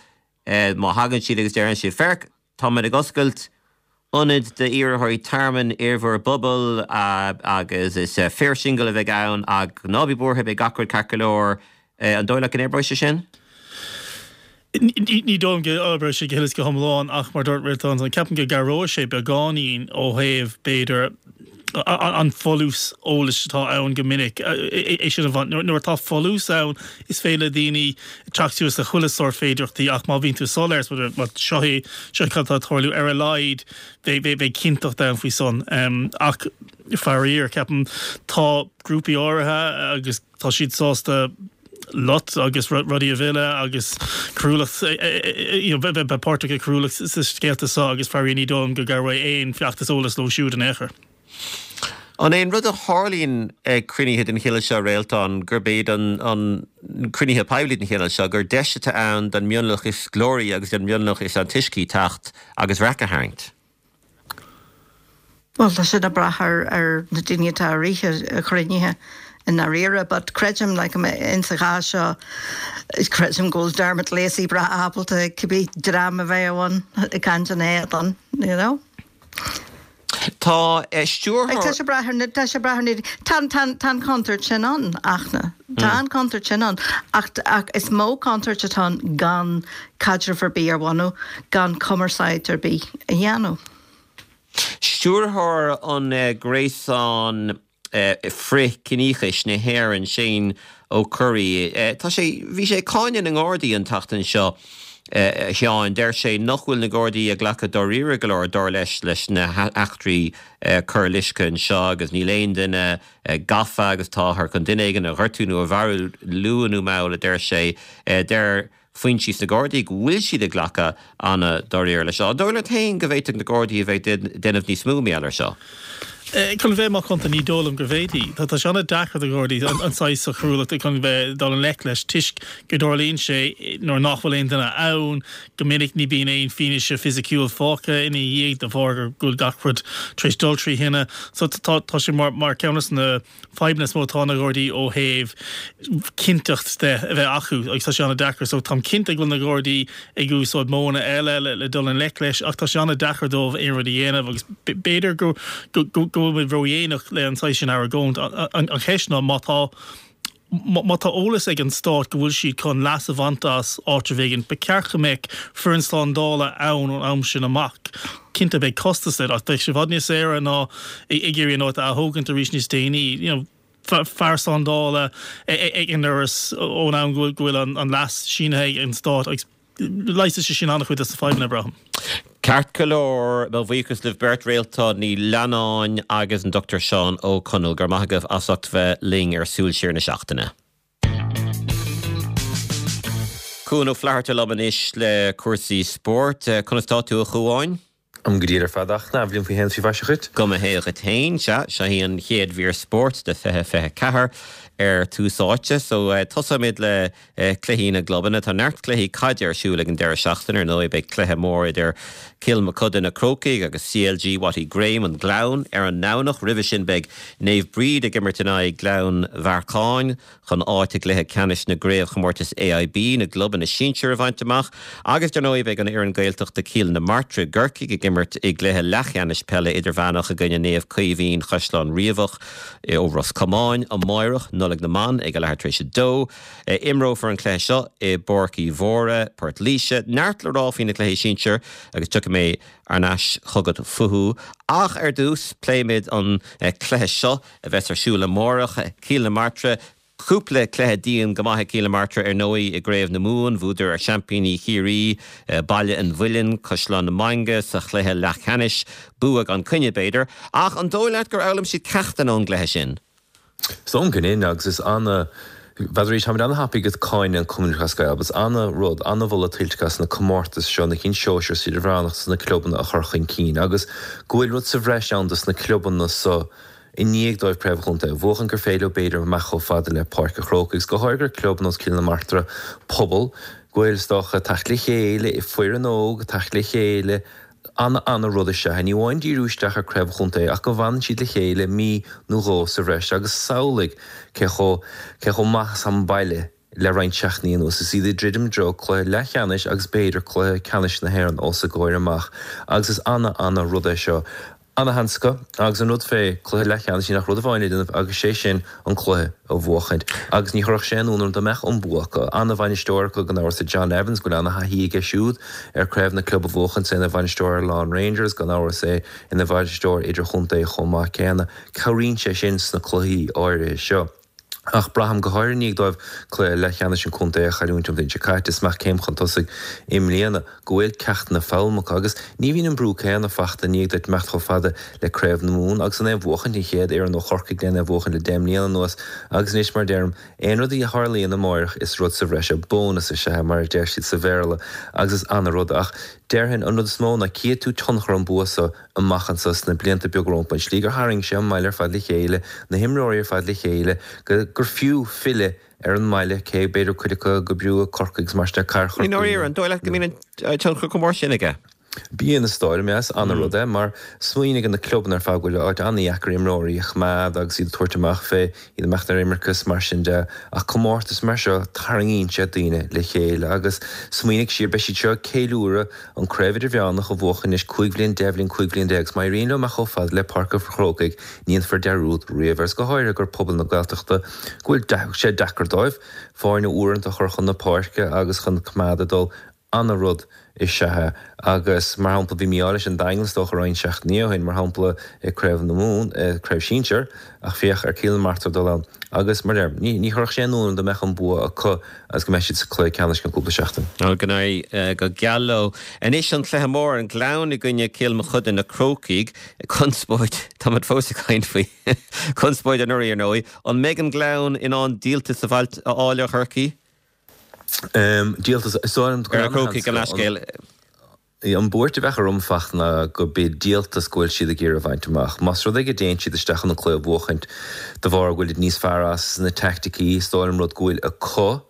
má thagann siad agus deireann siad, 'Féach, Táimid ag oscailt ionad d'iarrthóirí tearmainn ar bhur bpobal agus is fir singil a bheidh ann ach ná bí buartha, beidh gach rud ceart go leor. An dóigh leat go n-oibreoidh sé sin? Ní dóigh liom go n-oibreoidh sé go huile is go hiomlán ach mar dúirt Réaltán, ceapaim go gcabhróidh sé beagáinín ó thaobh, b'fhéidir, an folús eolais atá ann go minic, é sin a bhaint. Nuair atá folús ann, is féidir le daoine teacht suas le chuile sórt féidireachtaí ach má bhíonn tú soiléir, bhuel, seo é, seo cad atá ag tarlú, ar a laghad beidh cinnteacht ann faoi san. Ach faraor, ceapaim, tá grúpaí áirithe agus tá siad sásta lot agus rudaí a mhilleadh agus coiriúlacht, you know, bheith páirteach i gcoiriúlacht sna scéalta seo agus faraor ní dóigh liom go gcabhróidh aon feachtas eolais leo siúd in aon chor. An é an rud a tharlaíonn ag cruinnithe den chineál seo, Réaltán, gurb iad an cruinnithe poiblí den chineál seo, gur deis atá ann don mhionlach is glóraí agus don mhionlach is antoiscí teacht agus raic a tharraingt? Bhuel, tá sin ag brath ar ar na daoine atá ag rith an chruinnithe i ndáiríre, but creidim, like, in sa chás seo, creidim go bhfuil Dermot Lacey breá ábalta cibé dream a bheidh ann ag caint ina éadan, you know. Tá stiúrthóir. Tá sé ag brath ar na, tá sé ag brath ar na, tá, tá, tá an chontúirt sin ann, ach na, tá an chontúirt sin ann, ach, ach is mó contúirt atá ann gan caidreamh ar bith a bhunú, gan cumarsáid ar bith a dhéanamh. Stiúrthóir an Ghréasáin Frith-Chiníochais na hÉireann, Shane Ó Curraoin, tá sé, bhí sé ag cáineadh na nGardaí an tseachtain seo, a Sheáin. Deir sé nach bhfuil na Gardaí ag glacadh dáiríre go leor, dar leis, leis na heachtraí coir loiscthe anseo agus níl aon duine gafa agus táthar chun duine éigin a ghortú nó a mharú luath nó mall, a deir sé. Deir. foinsí sna Gardaí go bhfuil siad ag glacadh an-dáiríre leis seo. An dóigh leat féin go bhféadfadh na Gardaí a bheith ag déanamh níos mó mar gheall air seo? Chun bheith macánta, ní dóigh liom go bhféadfaí. Tá sé an-deacair do Ghardaí an saghas seo coiriúlachta chun bheith ag dul i ngleic leis toisc go dtarlaíonn sé nuair nach bhfuil aon duine ann. Go minic ní bíonn aon fianaise fisiciúil fágtha ina dhiaidh de bharr go bhfuil gach rud tar éis dul trí thine. So tá sé mar ceann de na fadhbanna is mó atá ag na Gardaí ó thaobh cinnteacht de a bheith acu agus tá sé an-deacair. So táim cinnte go bhfuil na Gardaí ag úsáid modhanna eile le dul i ngleic leis ach tá sé an-deacair dóibh aon rud a dhéanamh agus b'fhéidir go go bhfuil muid ródhéanach le an saghas sin argóint. An cheist ná má tá Má tá eolas ag an stát go bhfuil siad chun leas a bhaint as áitreabh éigin, ba cheart go mbeadh foireann slándála ann ón am sin amach. Cinnte, beidh costas leis, ach beidh sé i bhfad níos saoire ná ag iarraidh an áit a ath-thógaint arís níos déanaí. You know, fear slándála ag an ndoras ón am go bhfuil an leas sínithe ag an stát agus leigheasfaidh sé sin an-chuid des na fadhbanna, braithim. Ceart go leor, mo bhuíochas libh beirt, Réaltán Ní Leannáin agus an Dr Seán Ó Conaill. Go raibh maith agaibh as ucht bheith linn ar Súil Siar na Seachtaine. Cuan Ó Flatharta liom anois le cúrsaí spóirt. Conas tá tú, a Chuáin? Go diail ar fad ach an-bhliain faoi shéan is faoi mhaise dhuit. Go mba hea dhuit féin, sea, seo í an chéad mhír spóirt de 2024 ar Tús Áite. So, tosóimid le cluichí na gclubanna. Tá neart cluichí caide ar siúl ag an deireadh seachtaine, ar ndóigh. Beidh cluiche mór idir Cill Mochuda Na Crócaigh agus CLG Watty Graham, an Gleann, ar an nDomhnach. Roimhe sin beidh Naomh Bríd ag imirt in aghaidh Gleann Bhearcáin. chun áit i gcluiche ceannais na gcraobhchomórtas AIB na gclubanna sinsir a bhaint amach agus dar ndóigh beidh an fhoireann Gaeltachta Cill na Martra i gCorcaigh ag imirt i gcluiche leathcheannais peile idirmheánach i gcoinne Naomh Caoimhín Chaisleán Riabhach ó Ros Comáin amáireach, Nollaig na mBan, ag a leathuair tar éis a dó. Imreofar an cluiche seo i bPáirc Uí Mhórdha, Port Laoise. Neart le rá faoi na cluichí sinsir agus tiocfaidh mé thar n-ais chugat fúthu ach ar dtús pléimid an cluiche seo a bheas ar siúl amárach. Cill na Martra, Cúpla cluiche dian go maith ag Cill na Martra ar ndóigh i gCraobh na Mumhan. Bhuadar ar seaimpíní Chiarraí, Baile an Mhuilinn, Caisleán na Mainge sa chluiche leathcheannais. Bua gan coinne, b'fhéidir. Ach an dóigh leat gur fhoghlaim siad ceachtanna ón gcluiche sin? Is dóigh liom go ndéanann agus is ana Bheadh arís, táimid ana-thapaidh ag cáineadh an Cumann Lúthchleas Gael, but is ana-rud, ana-mholadh tuillte as na comórtais seo, na cinn sóisir is idirmheánach dos na clubanna a chur chun cinn agus go bhfuil rud sa bhreis ann dos na clubanna so i ndiaidh dóibh Craobh an Chontae a bhuachan gur féidir leo b'fhéidir imeacht chomh fada le Páirc an Chrócaigh agus go háirithe gur club nós Cill na Martra pobal go bhfuil is dócha teacht le chéile, foireann óg teacht le chéile ana ana rud is ea é. Ní amháin díriú isteach ar Craobh an Chontae ach go bhfanann siad le chéile mí nó dhó sa bhreis agus samhlaigh cé chomh cé chomh maith is tá an baile le roinnt seachtainí anuas is iad ag druidim i dtreo cluiche leathcheannais agus b'fhéidir cluiche ceannais na hÉireann os a gcomhair amach agus is ana ana rud é seo. Ana sheans acu agus an rud fé cluiche leathcheannais níl ach rud amháin le déanamh agus sé sin an cluiche a bhuachaint agus ní chuirfeadh sé aon ionadh orm dá mbeadh an bua acu. Ana bhainisteoir acu gan amhras i John Evans go bhfuil ana thaithí aige siúd ar craobh na club a bhuachaint is é ina bhainisteoir ar Laighean Rangers gan amhras é ina bhainisteoir idirchontae chomh maith céanna. Cabhraíonn sé sin sna cluichí áirithe seo. Ach braithim, go háirithe i ndiaidh dóibh cluiche leathcheannais an chontae a chailliúint an bhliain seo caite, is imeacht céim chun tosaigh i mbliana, go bhfuil ceachtanna foghlamtha acu. Agus ní bhíonn an brú céanna fachta i ndiaidh duit imeacht chomh fada le Craobh na Mumhan agus an é a bhuachaint, an chéad fhoireann ó Chorcaigh len é a bhuachaint le deich mbliana anuas. Agus anois, mar a deirim, aon rud a tharlaíonn amáireach is rud sa bhreis é, bónas is ea é, mar a deir siad sa Bhéarla, agus is ana-rud. Ach déarfainn, an rud is mó ná cífidh tú tionchar an bua so amach anso sna blianta beaga rompu, an tslí gur tharraing sé an mbaile ar fad le chéile, na himreoirí ar fad le chéile, go gur fiú filleadh ar an mbaile, cé b'fhéidir cuid acu ag oibriú i Corcaigh agus mar sin de, Cathair I Chorcaí. ndáiríre, an dóigh leat go mbíonn an tionchar chomh mór sin aige? Bíonn, is dóigh liom, is ana-rud é, mar smaoinigh ar na clubanna ar fad go bhfuil áit an-dheacair imreoirí a choimeád agus iad a tabhairt amach fé, iad imeacht ar imirce is mar sin de, ach comórtas mar seo, tarraingíonn sé daoine le chéile agus smaoinigh siar, beidh siad seo ag ceiliúradh An Craobh Idirmheánach a bhuachan anois 15 bhliain, 10 bhliain, 15 bhliain agus má éiríonn leo imeacht chomh fada le Páirc an Chrócaigh ní dhéanfar dearúd riamh air is go háirithe gur pobal na Gaeltachta go bhfuil sé deacair dóibh foirne uaireanta a chur chun na páirce agus chun coimeád ag dul ana-rud is ea é agus mar shampla bhí mí-ádh leis an Daingean is dócha roinnt seachtainí ó shin mar shampla i Craobh na Mumhan, i Craobh Sinsear ach féach ar Cill na Martra dul ann agus mar a deirim ní ní chuirfeadh sé aon ionadh orm dá mbeadh an bua acu agus go mbeidh siad sa cluiche ceannais i gceann cúpla seachtain. Go n-éirí go geal leo. Anois an cluiche mór, an Gleann i gcoinne Cill Mochuda, na Crócaigh. Conspóid, táimid fós ag caint faoi chonspóid anuraidh ar ndóigh. An mbeidh an Gleann in ann díoltas a fháil ar Chorcaigh? Díoltas, is dóigh liom go Ar na Crócaigh, gabh mo leithscéal. An buairt a bheadh orm Fachtna ná go b'é díoltas go bhfuil siad ag iarraidh a bhaint amach. Más rud é go dtéann siad isteach chun an cluiche a bhuachaint de bharr go bhfuilid níos fearr as na teaicticí, is dóigh liom rud go bhfuil acu,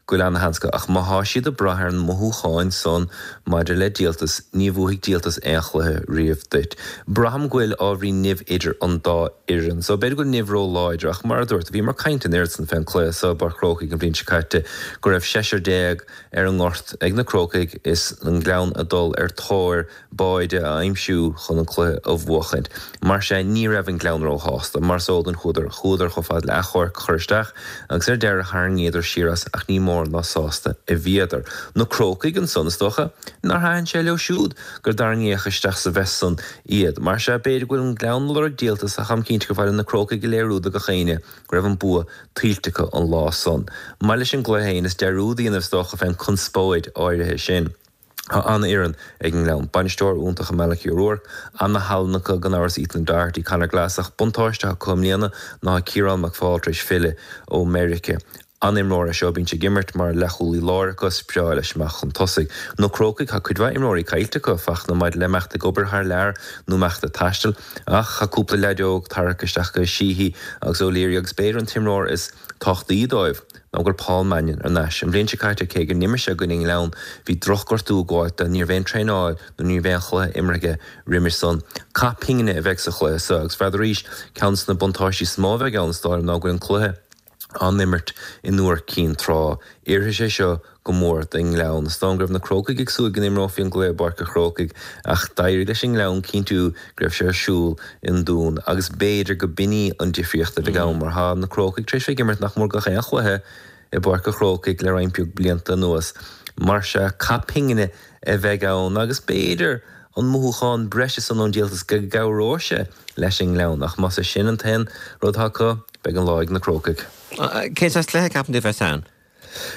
go bhfuil ana-sheans acu. Ach má thá siad ag brath ar na mothúcháin san maidir le díoltas, ní bhuafaidh díoltas aon chluiche riamh duit. Braithim go bhfuil ábhairín nimh idir an dá fhoireann so. B'fhéidir go bhfuil nimh ró-láidir ach mar a dúirt, bhíomar ag caint an oiread san fén cluiche so i bPáirc Chrócaigh an bhliain seo caite go raibh seisear ar an ngort ag na Crócaigh is an Gleann ag dul ar tóir báide a aimsiú chun an cluiche a bhuachaint. Mar sea, ní raibh an Gleann róshásta. Mar is eol duinn chuadar chuadar chomh fada le achomharc a chur isteach agus ar deireadh tharraingíodar siar as ach ní mór ná sásta a bhíodar. Na Crócaigh ansan, is dócha nár thaitin sé leo siúd gur dtarraingíodh isteach sa mess san iad. Mar sea, b'fhéidir go bhfuil an Gleann ag lorg díoltas ach táim cinnte gur mhaith le na Crócaigh a léiriú do gach éinne go raibh an bua tuillte acu an lá san. Maidir leis an gcluiche féin, is dearúd a dhéanamh is dócha fén conspóid áirithe sin. Tá an-fhoireann ag an nGleann. Bainisteoir iontach i Malachy O'Rourke, ana-thallann acu gan amhras Ethan Doherty, Conor Glass ach buntáiste atá acu i mbliana ná tá Ciarán McFaul tar éis filleadh ó Meirice. An-imreoir é seo, bíonn sé ag imirt mar leathchúlaí láir acu, is breá leis imeacht chun tosaigh. Na Crócaigh, tá cuid mhaith imreoirí caillte acu, Fachtna, maidir le imeacht ag obair thar lear nó imeacht ag taisteal. Ach tá cúpla leaid óg tarraicthe isteach acu, Sheehy agus O'Leary, agus b'fhéidir an t-imreoir is tábhachtaí dóibh ná go bhfuil Paul Mannion ar n-ais. An bhliain seo caite, cé go n-imir sé i gcoinne an Ghleann, bhí drochghortú ag gabháilt dó, ní raibh aon traenáil nó ní raibh aon chluiche imeartha aige roimis san. Cath pingine a bheidh sa chluiche seo agus n'fheadar arís, ceann de na buntáistí is mó a bheidh ann is dóigh liom ná go bhfuil an cluiche á n-imirt i nIúr Cinn Trá. Oirfidh sé seo go mór don nGleann. Is dóigh go raibh na Crócaigh ag súil go n-imreofaí an gcluiche i bPáirc an Chrócaigh ach d'éirigh leis an nGleann cinntiú go raibh sé ar siúl i nDún agus b'fhéidir go b'in í an difríocht a bheidh ann mar tá na Crócaigh tar éis bheith ag imirt nach mór gach aon chluiche i bPáirc an Chrócaigh le roinnt beag blianta anuas. Mar sea, cath pingine a bheidh ann agus b'fhéidir an mothúchán breise san ón díoltas go gcabhróidh sé leis an nGleann ach más é sin an t-aon rud atá acu, beidh an lá ag na Crócaigh. Cén saghas cluiche a cheapann tú a bheas ann?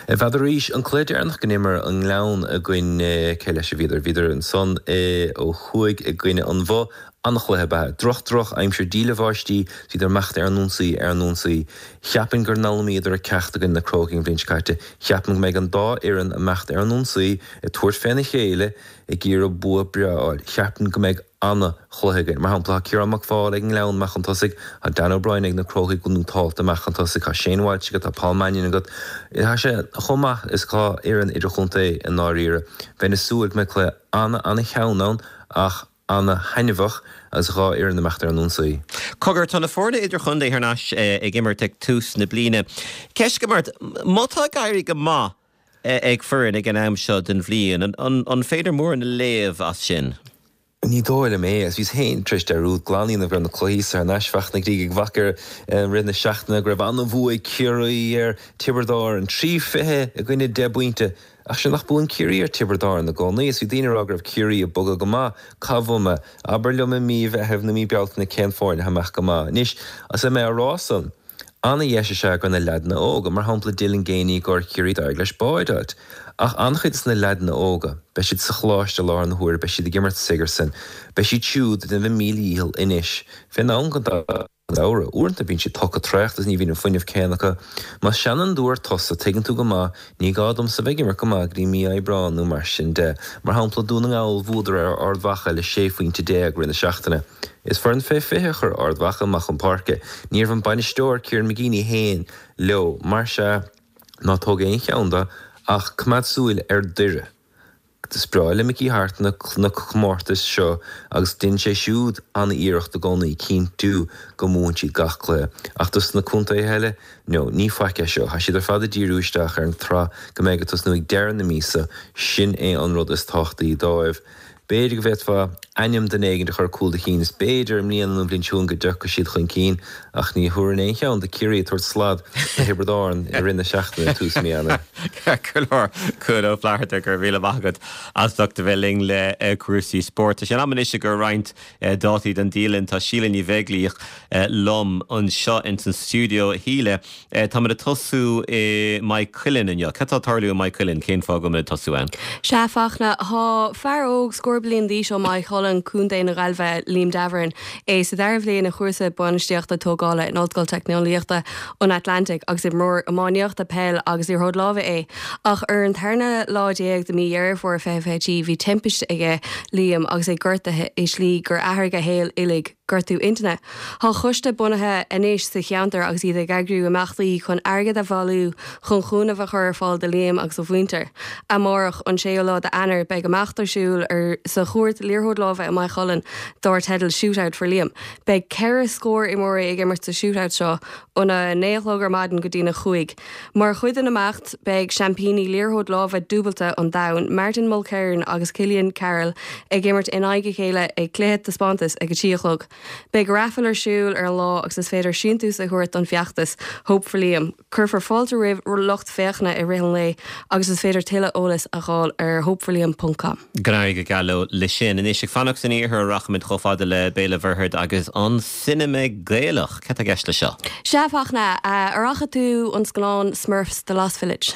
N'fheadar arís, an cluiche deireanach go n-imir an Gleann i gcoinne, cé leis a bhíodar? Bhíodar ansan ó thuaidh i gcoinne an Bhoth. An-chluiche ab ea. Droch, droch aimsir, díle bháistí, 's bhíodar imeacht ar an ionsaí, ar an ionsaí. Cheapfainn gur d'fhoghlaimíodar a ceacht i gcoinne na Crócaigh an bhliain seo caite. Cheapfainn go mbeidh an dá fhoireann imeacht ar an ionsaí, ag tabhairt féna chéile, ag iarraidh bua breá a fháil. Cheapfainn go mbeidh an-chluiche againn. Mar shampla, tá Ciarán McFaul ag an nGleann amach chun tosaigh, tá Dan O'Brien ag na Crócaigh go nótálta amach chun tosaigh, tá Shane Walsh agat, tá Paul Mannion agat. Tá sé chomh maith is atá fhoireann idirchontae i ndáiríre. Bheinn ag súil go mbeidh cluiche ana-ana-theann ann ach ana-thaitneamhach agus dhá fhoireann imeacht ar an ionsaí. Cogar, tá na foirne idirchontae thar n-ais ag imirt ag tús na bliana. Ceist agam ort, má tá ag éirí go maith ag foireann ag an am seo den bhliain, an féidir mórán a léamh as sin? Ní dóigh liom é, agus bhíos féin tar éis dearúd glan a dhéanamh go raibh na cluichí thar n-ais Fachtna go dtí go bhfaca i rith na seachtaine go raibh an-bhua ag Ciarraí ar Tiobraid Árann, 3-20 i gcoinne 10 bpointe. Ach sea nach buann Ciarraí ar Tiobraid Árann i gcónaí is bhí daoine ag rá go raibh Ciarraí ag bogadh go maith. Cá bhfuil mé? Abair liom i mí Mheithimh nó mí Bealtaine cén foireann atá amach go maith. Anois, is mé á rá san, Ana-dheis is ea go na leaideanna óga, mar shampla Dylan Geaney i gcomhair Chiarraí d'éirigh leis báide a fháilt. Ach an-chuid de na leaideanna óga, beidh siad sa choláiste i láthair na huaire, beidh siad ag imirt Sigerson, beidh siad siúd ag déanamh a míle dhícheall anois fén am den samhradh. Uaireanta bíonn siad toctha traochta is ní bhíonn an fuinneamh céanna acu. Más seanfhondúir tusa, tuigeann tú go maith, ní gá domsa bheith ag imirt go maith go dtí mí Aibreáin nó mar sin de. Mar shampla, Dún na nGall, bhuadar ar Ard Mhacha le 16 phointe rith na seachtaine. Is foireann fé 20 a chuir Ard Mhacha amach chun páirce. Ní raibh an bainisteoir, Kieran McGeeney féin leo. Mar sea, ná tóg aon cheann de ach coimeád súil ar Doire. Is breá le Mickey Harte na comórtais seo agus déanann sé siúd an-iarracht i gcónaí cinntiú go mbuann siad gach cluiche. Ach dos na contaetha eile, no, ní faic é seo. Tá siad ar fad ag díriú isteach ar an tsraith go mbeidh ag tosnú ag deireadh na míosa. Sin é an rud is tábhachtaí dóibh. B'fhéidir go bhféadfá ainm duine éigin a chur cúl do chinn is b'fhéidir i mbliana nó an bhliain seo chugainn go dtiocfaidh siad chun cinn ach ní thabharfainn aon cheann do Ciarraí ag tabhairt slad do Thiobraid Árann i rith na seachtaine tús mí Eanáir. Ceart go leor, Cuan Ó Flatharta, go raibh míle maith agat as ucht a bheith linn le cúrsaí spóirt. Tá sé in am anois i gcomhair roinnt dátaí don dialann. Tá Síle Ní Bheaglaoich liom anseo ins an stiúideo. A Shíle, Táimid ag tosú i Maigh Cuilinn inniu. Cad tá ag tarlú i Maigh Cuilinn? Cén fáth go bhfuilimid ag tosú ann? Sea, Fachtna, tá fear óg scór bliain d'aois ó Maigh Cuilinn. Chulainn, Co. na Gaillimhe, Liam Davoren, é sa dara bhliain i chúrsa Bainistíochta Tógála in Ollscoil Teicneolaíochta an Atlantaigh agus imreoir iománaíochta, peil agus liathróid láimhe é. Ach ar an tarna lá déag de mí Dheireadh Fómhair 2023 bhí timpiste aige Liam agus é gortaithe i slí gur athraigh a shaol uilig. Gortú intinne. Tá coiste bunaithe anois sa cheantar agus iad ag eagrú imeachtaí chun airgead a bhailiú chun cúnamh a chur ar fáil do Liam agus a mhuintir. Amárach, an séú lá d'Eanáir, beidh imeacht ar siúl ar sa chúirt liathróid láimhe i Maigh Cuilinn dár teideal Shootout for Liam. Beidh ceithre scór imreoirí ag imirt sa shootout seo óna 9 a chlog ar maidin go dtína chúig. Mar chuid den imeacht, beidh seaimpíní liathróid láimhe dúbailte an domhain, Martin Mulkerrin agus Cillian Carroll, ag imirt in aghaidh a chéile ag cluiche taispeántais ag a 3 a chlog. Beidh raifil ar siúl ar an lá agus is féidir síntiús a thabhairt don bhfeachtas Hope for Liam. Cuirfear fáilte roimh lucht féachana i rith an lae agus is féidir tuilleadh eolais a fháil ar hopeforliam ponc com. Go n-éirí go geal leo le sin. Anois, ag fanacht san iarthar a rachaimid chomh fada le Béal an Mhuirthead agus an Cinema Gaelach. Cad tá i gceist le seo? Sea, Fachtna, ar fhaca tú an scannán Smurfs, The Lost Village?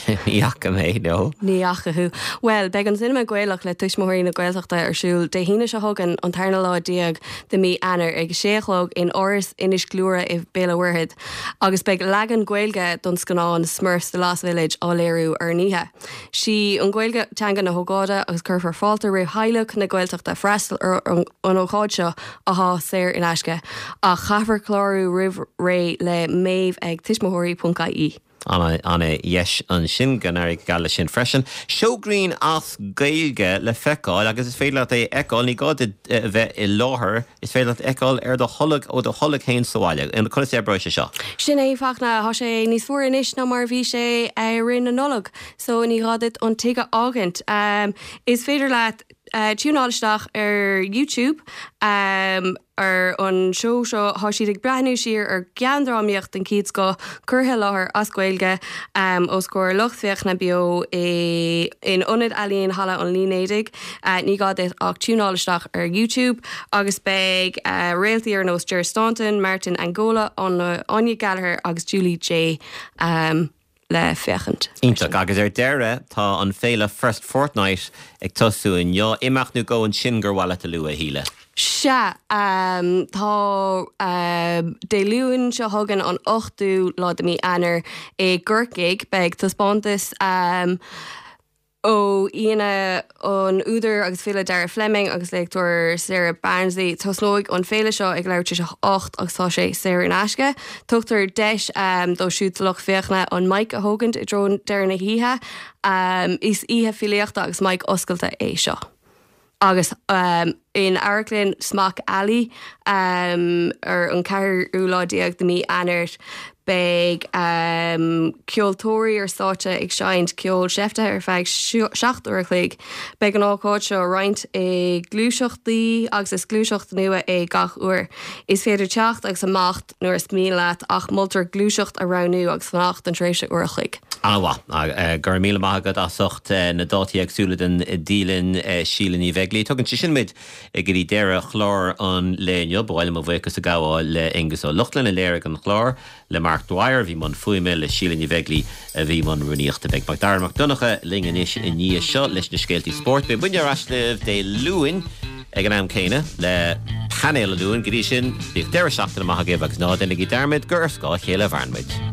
Ní fhaca mé, no. Ní fhaca thú. Bhuel, beidh an Cinema Gaelach le Tuismitheoirí na Gaeltachta ar siúl Dé hAoine seo chugainn, an tarna lá déag de mí Eanáir, ag a sé a chlog in Áras Inis Gluaire i Béal an Mhuirthead, agus beidh leagan Gaeilge don scannán Smurfs, The Lost Village á léiriú ar an oíche. Sí an Ghaeilge teanga na hócáide agus cuirfear fáilte roimh theaghlaigh na Gaeltachta freastal ar an ócáid seo athá saor in aisce ach caithfear clárú roimh ré le Maeve ag tuismitheoirí.ie. Ana-dheis ansin, go n-éirí go geal leis sin freisin. Seó grinn as Gaeilge le feiceáil agus is féidir leat é a fheiceáil, ní gá duit a bheith i láthair, is féidir leat a fheiceáil ar do tholg, ó do tholg féin sa bhaile. Conas a oibreoidh sé seo? Sin é, Fachtna. Tá sé níos fuaire anois ná mar a bhí sé i rith na Nollag, so ní gá duit an tigh a fhágaint. Is féidir leat tiúnáil isteach ar YouTube ar an seó seo. Tá siad ag breathnú siar ar gheandrámaíocht den chéad scoth curtha i láthair as Gaeilge os comhair lucht féachana beo i in Ionad Ealaíon Halla an Línéadaigh. Ní gá duit ach tiúnáil isteach ar YouTube agus beidh réaltaí ar nós Ger Staunton, Martin Angola, Áine Gallagher agus Julie Jay le féachaint. Iontach. Agus ar deireadh, tá an féile First Fortnight ag tosú inniu. Imeacht nó dhó ansin gur mhaith leat a lua, a Shíle? Sea, tá Dé Luain seo chugainn, an 8ú lá de mí Eanáir, i gCorcaigh, beidh taispeántas ó aíonna an údar agus file Dara Fleming agus léachtóir Sarah Barnsley. Tosnóidh an féile seo ag leathuair tar éis a 8 agus tá sé saor in aisce. Tugtar deis dóibh siúd sa lucht féachana an mic a thógaint i dtreo deireadh na hoíche. Is oíche filíochta agus mic oscailte é seo. Agus in Amharclann Smock Alley ar an ceathrú lá déag de mí Eanáir beidh ceoltóirí ar stáitse ag seinnt ceol seiftithe ar feadh 7 uair a chloig. Beidh an ócáid seo roinnte i ngluaiseachtaí agus is gluaiseacht nua é gach uair. Is féidir teacht agus imeacht nuair is mian leat ach moltar gluaiseacht a roghnú agus fanacht don tréimhse uair a chloig. An-mhaith. Go raibh míle maith agat as ucht na dátaí éagsúla den dialann, Síle Ní Bheaglaoí. Tugann sé sin muid go dtí deireadh chlár an lae inniu. Ba mhaith liom mo bhuíochas a ghabháil le Aengus Ó Lochlainn a léirigh an clár, le Mark Dwyer a bhí i mbun fuaime, le Síle Ní Bheaglaoí a bhí i mbun rúnaíochta. Beidh Macdara Mac Donncha linn anois i ndiaidh seo leis na scéaltaí spóirt. Beidh muidne ar ais libh Dé Luain ag an am céanna le Painéal an Luain. Go dtí sin, bíodh deireadh seachtaine maith agaibh agus ná déanaigí dearmad gur ar scáth a chéile a mhaireann muid.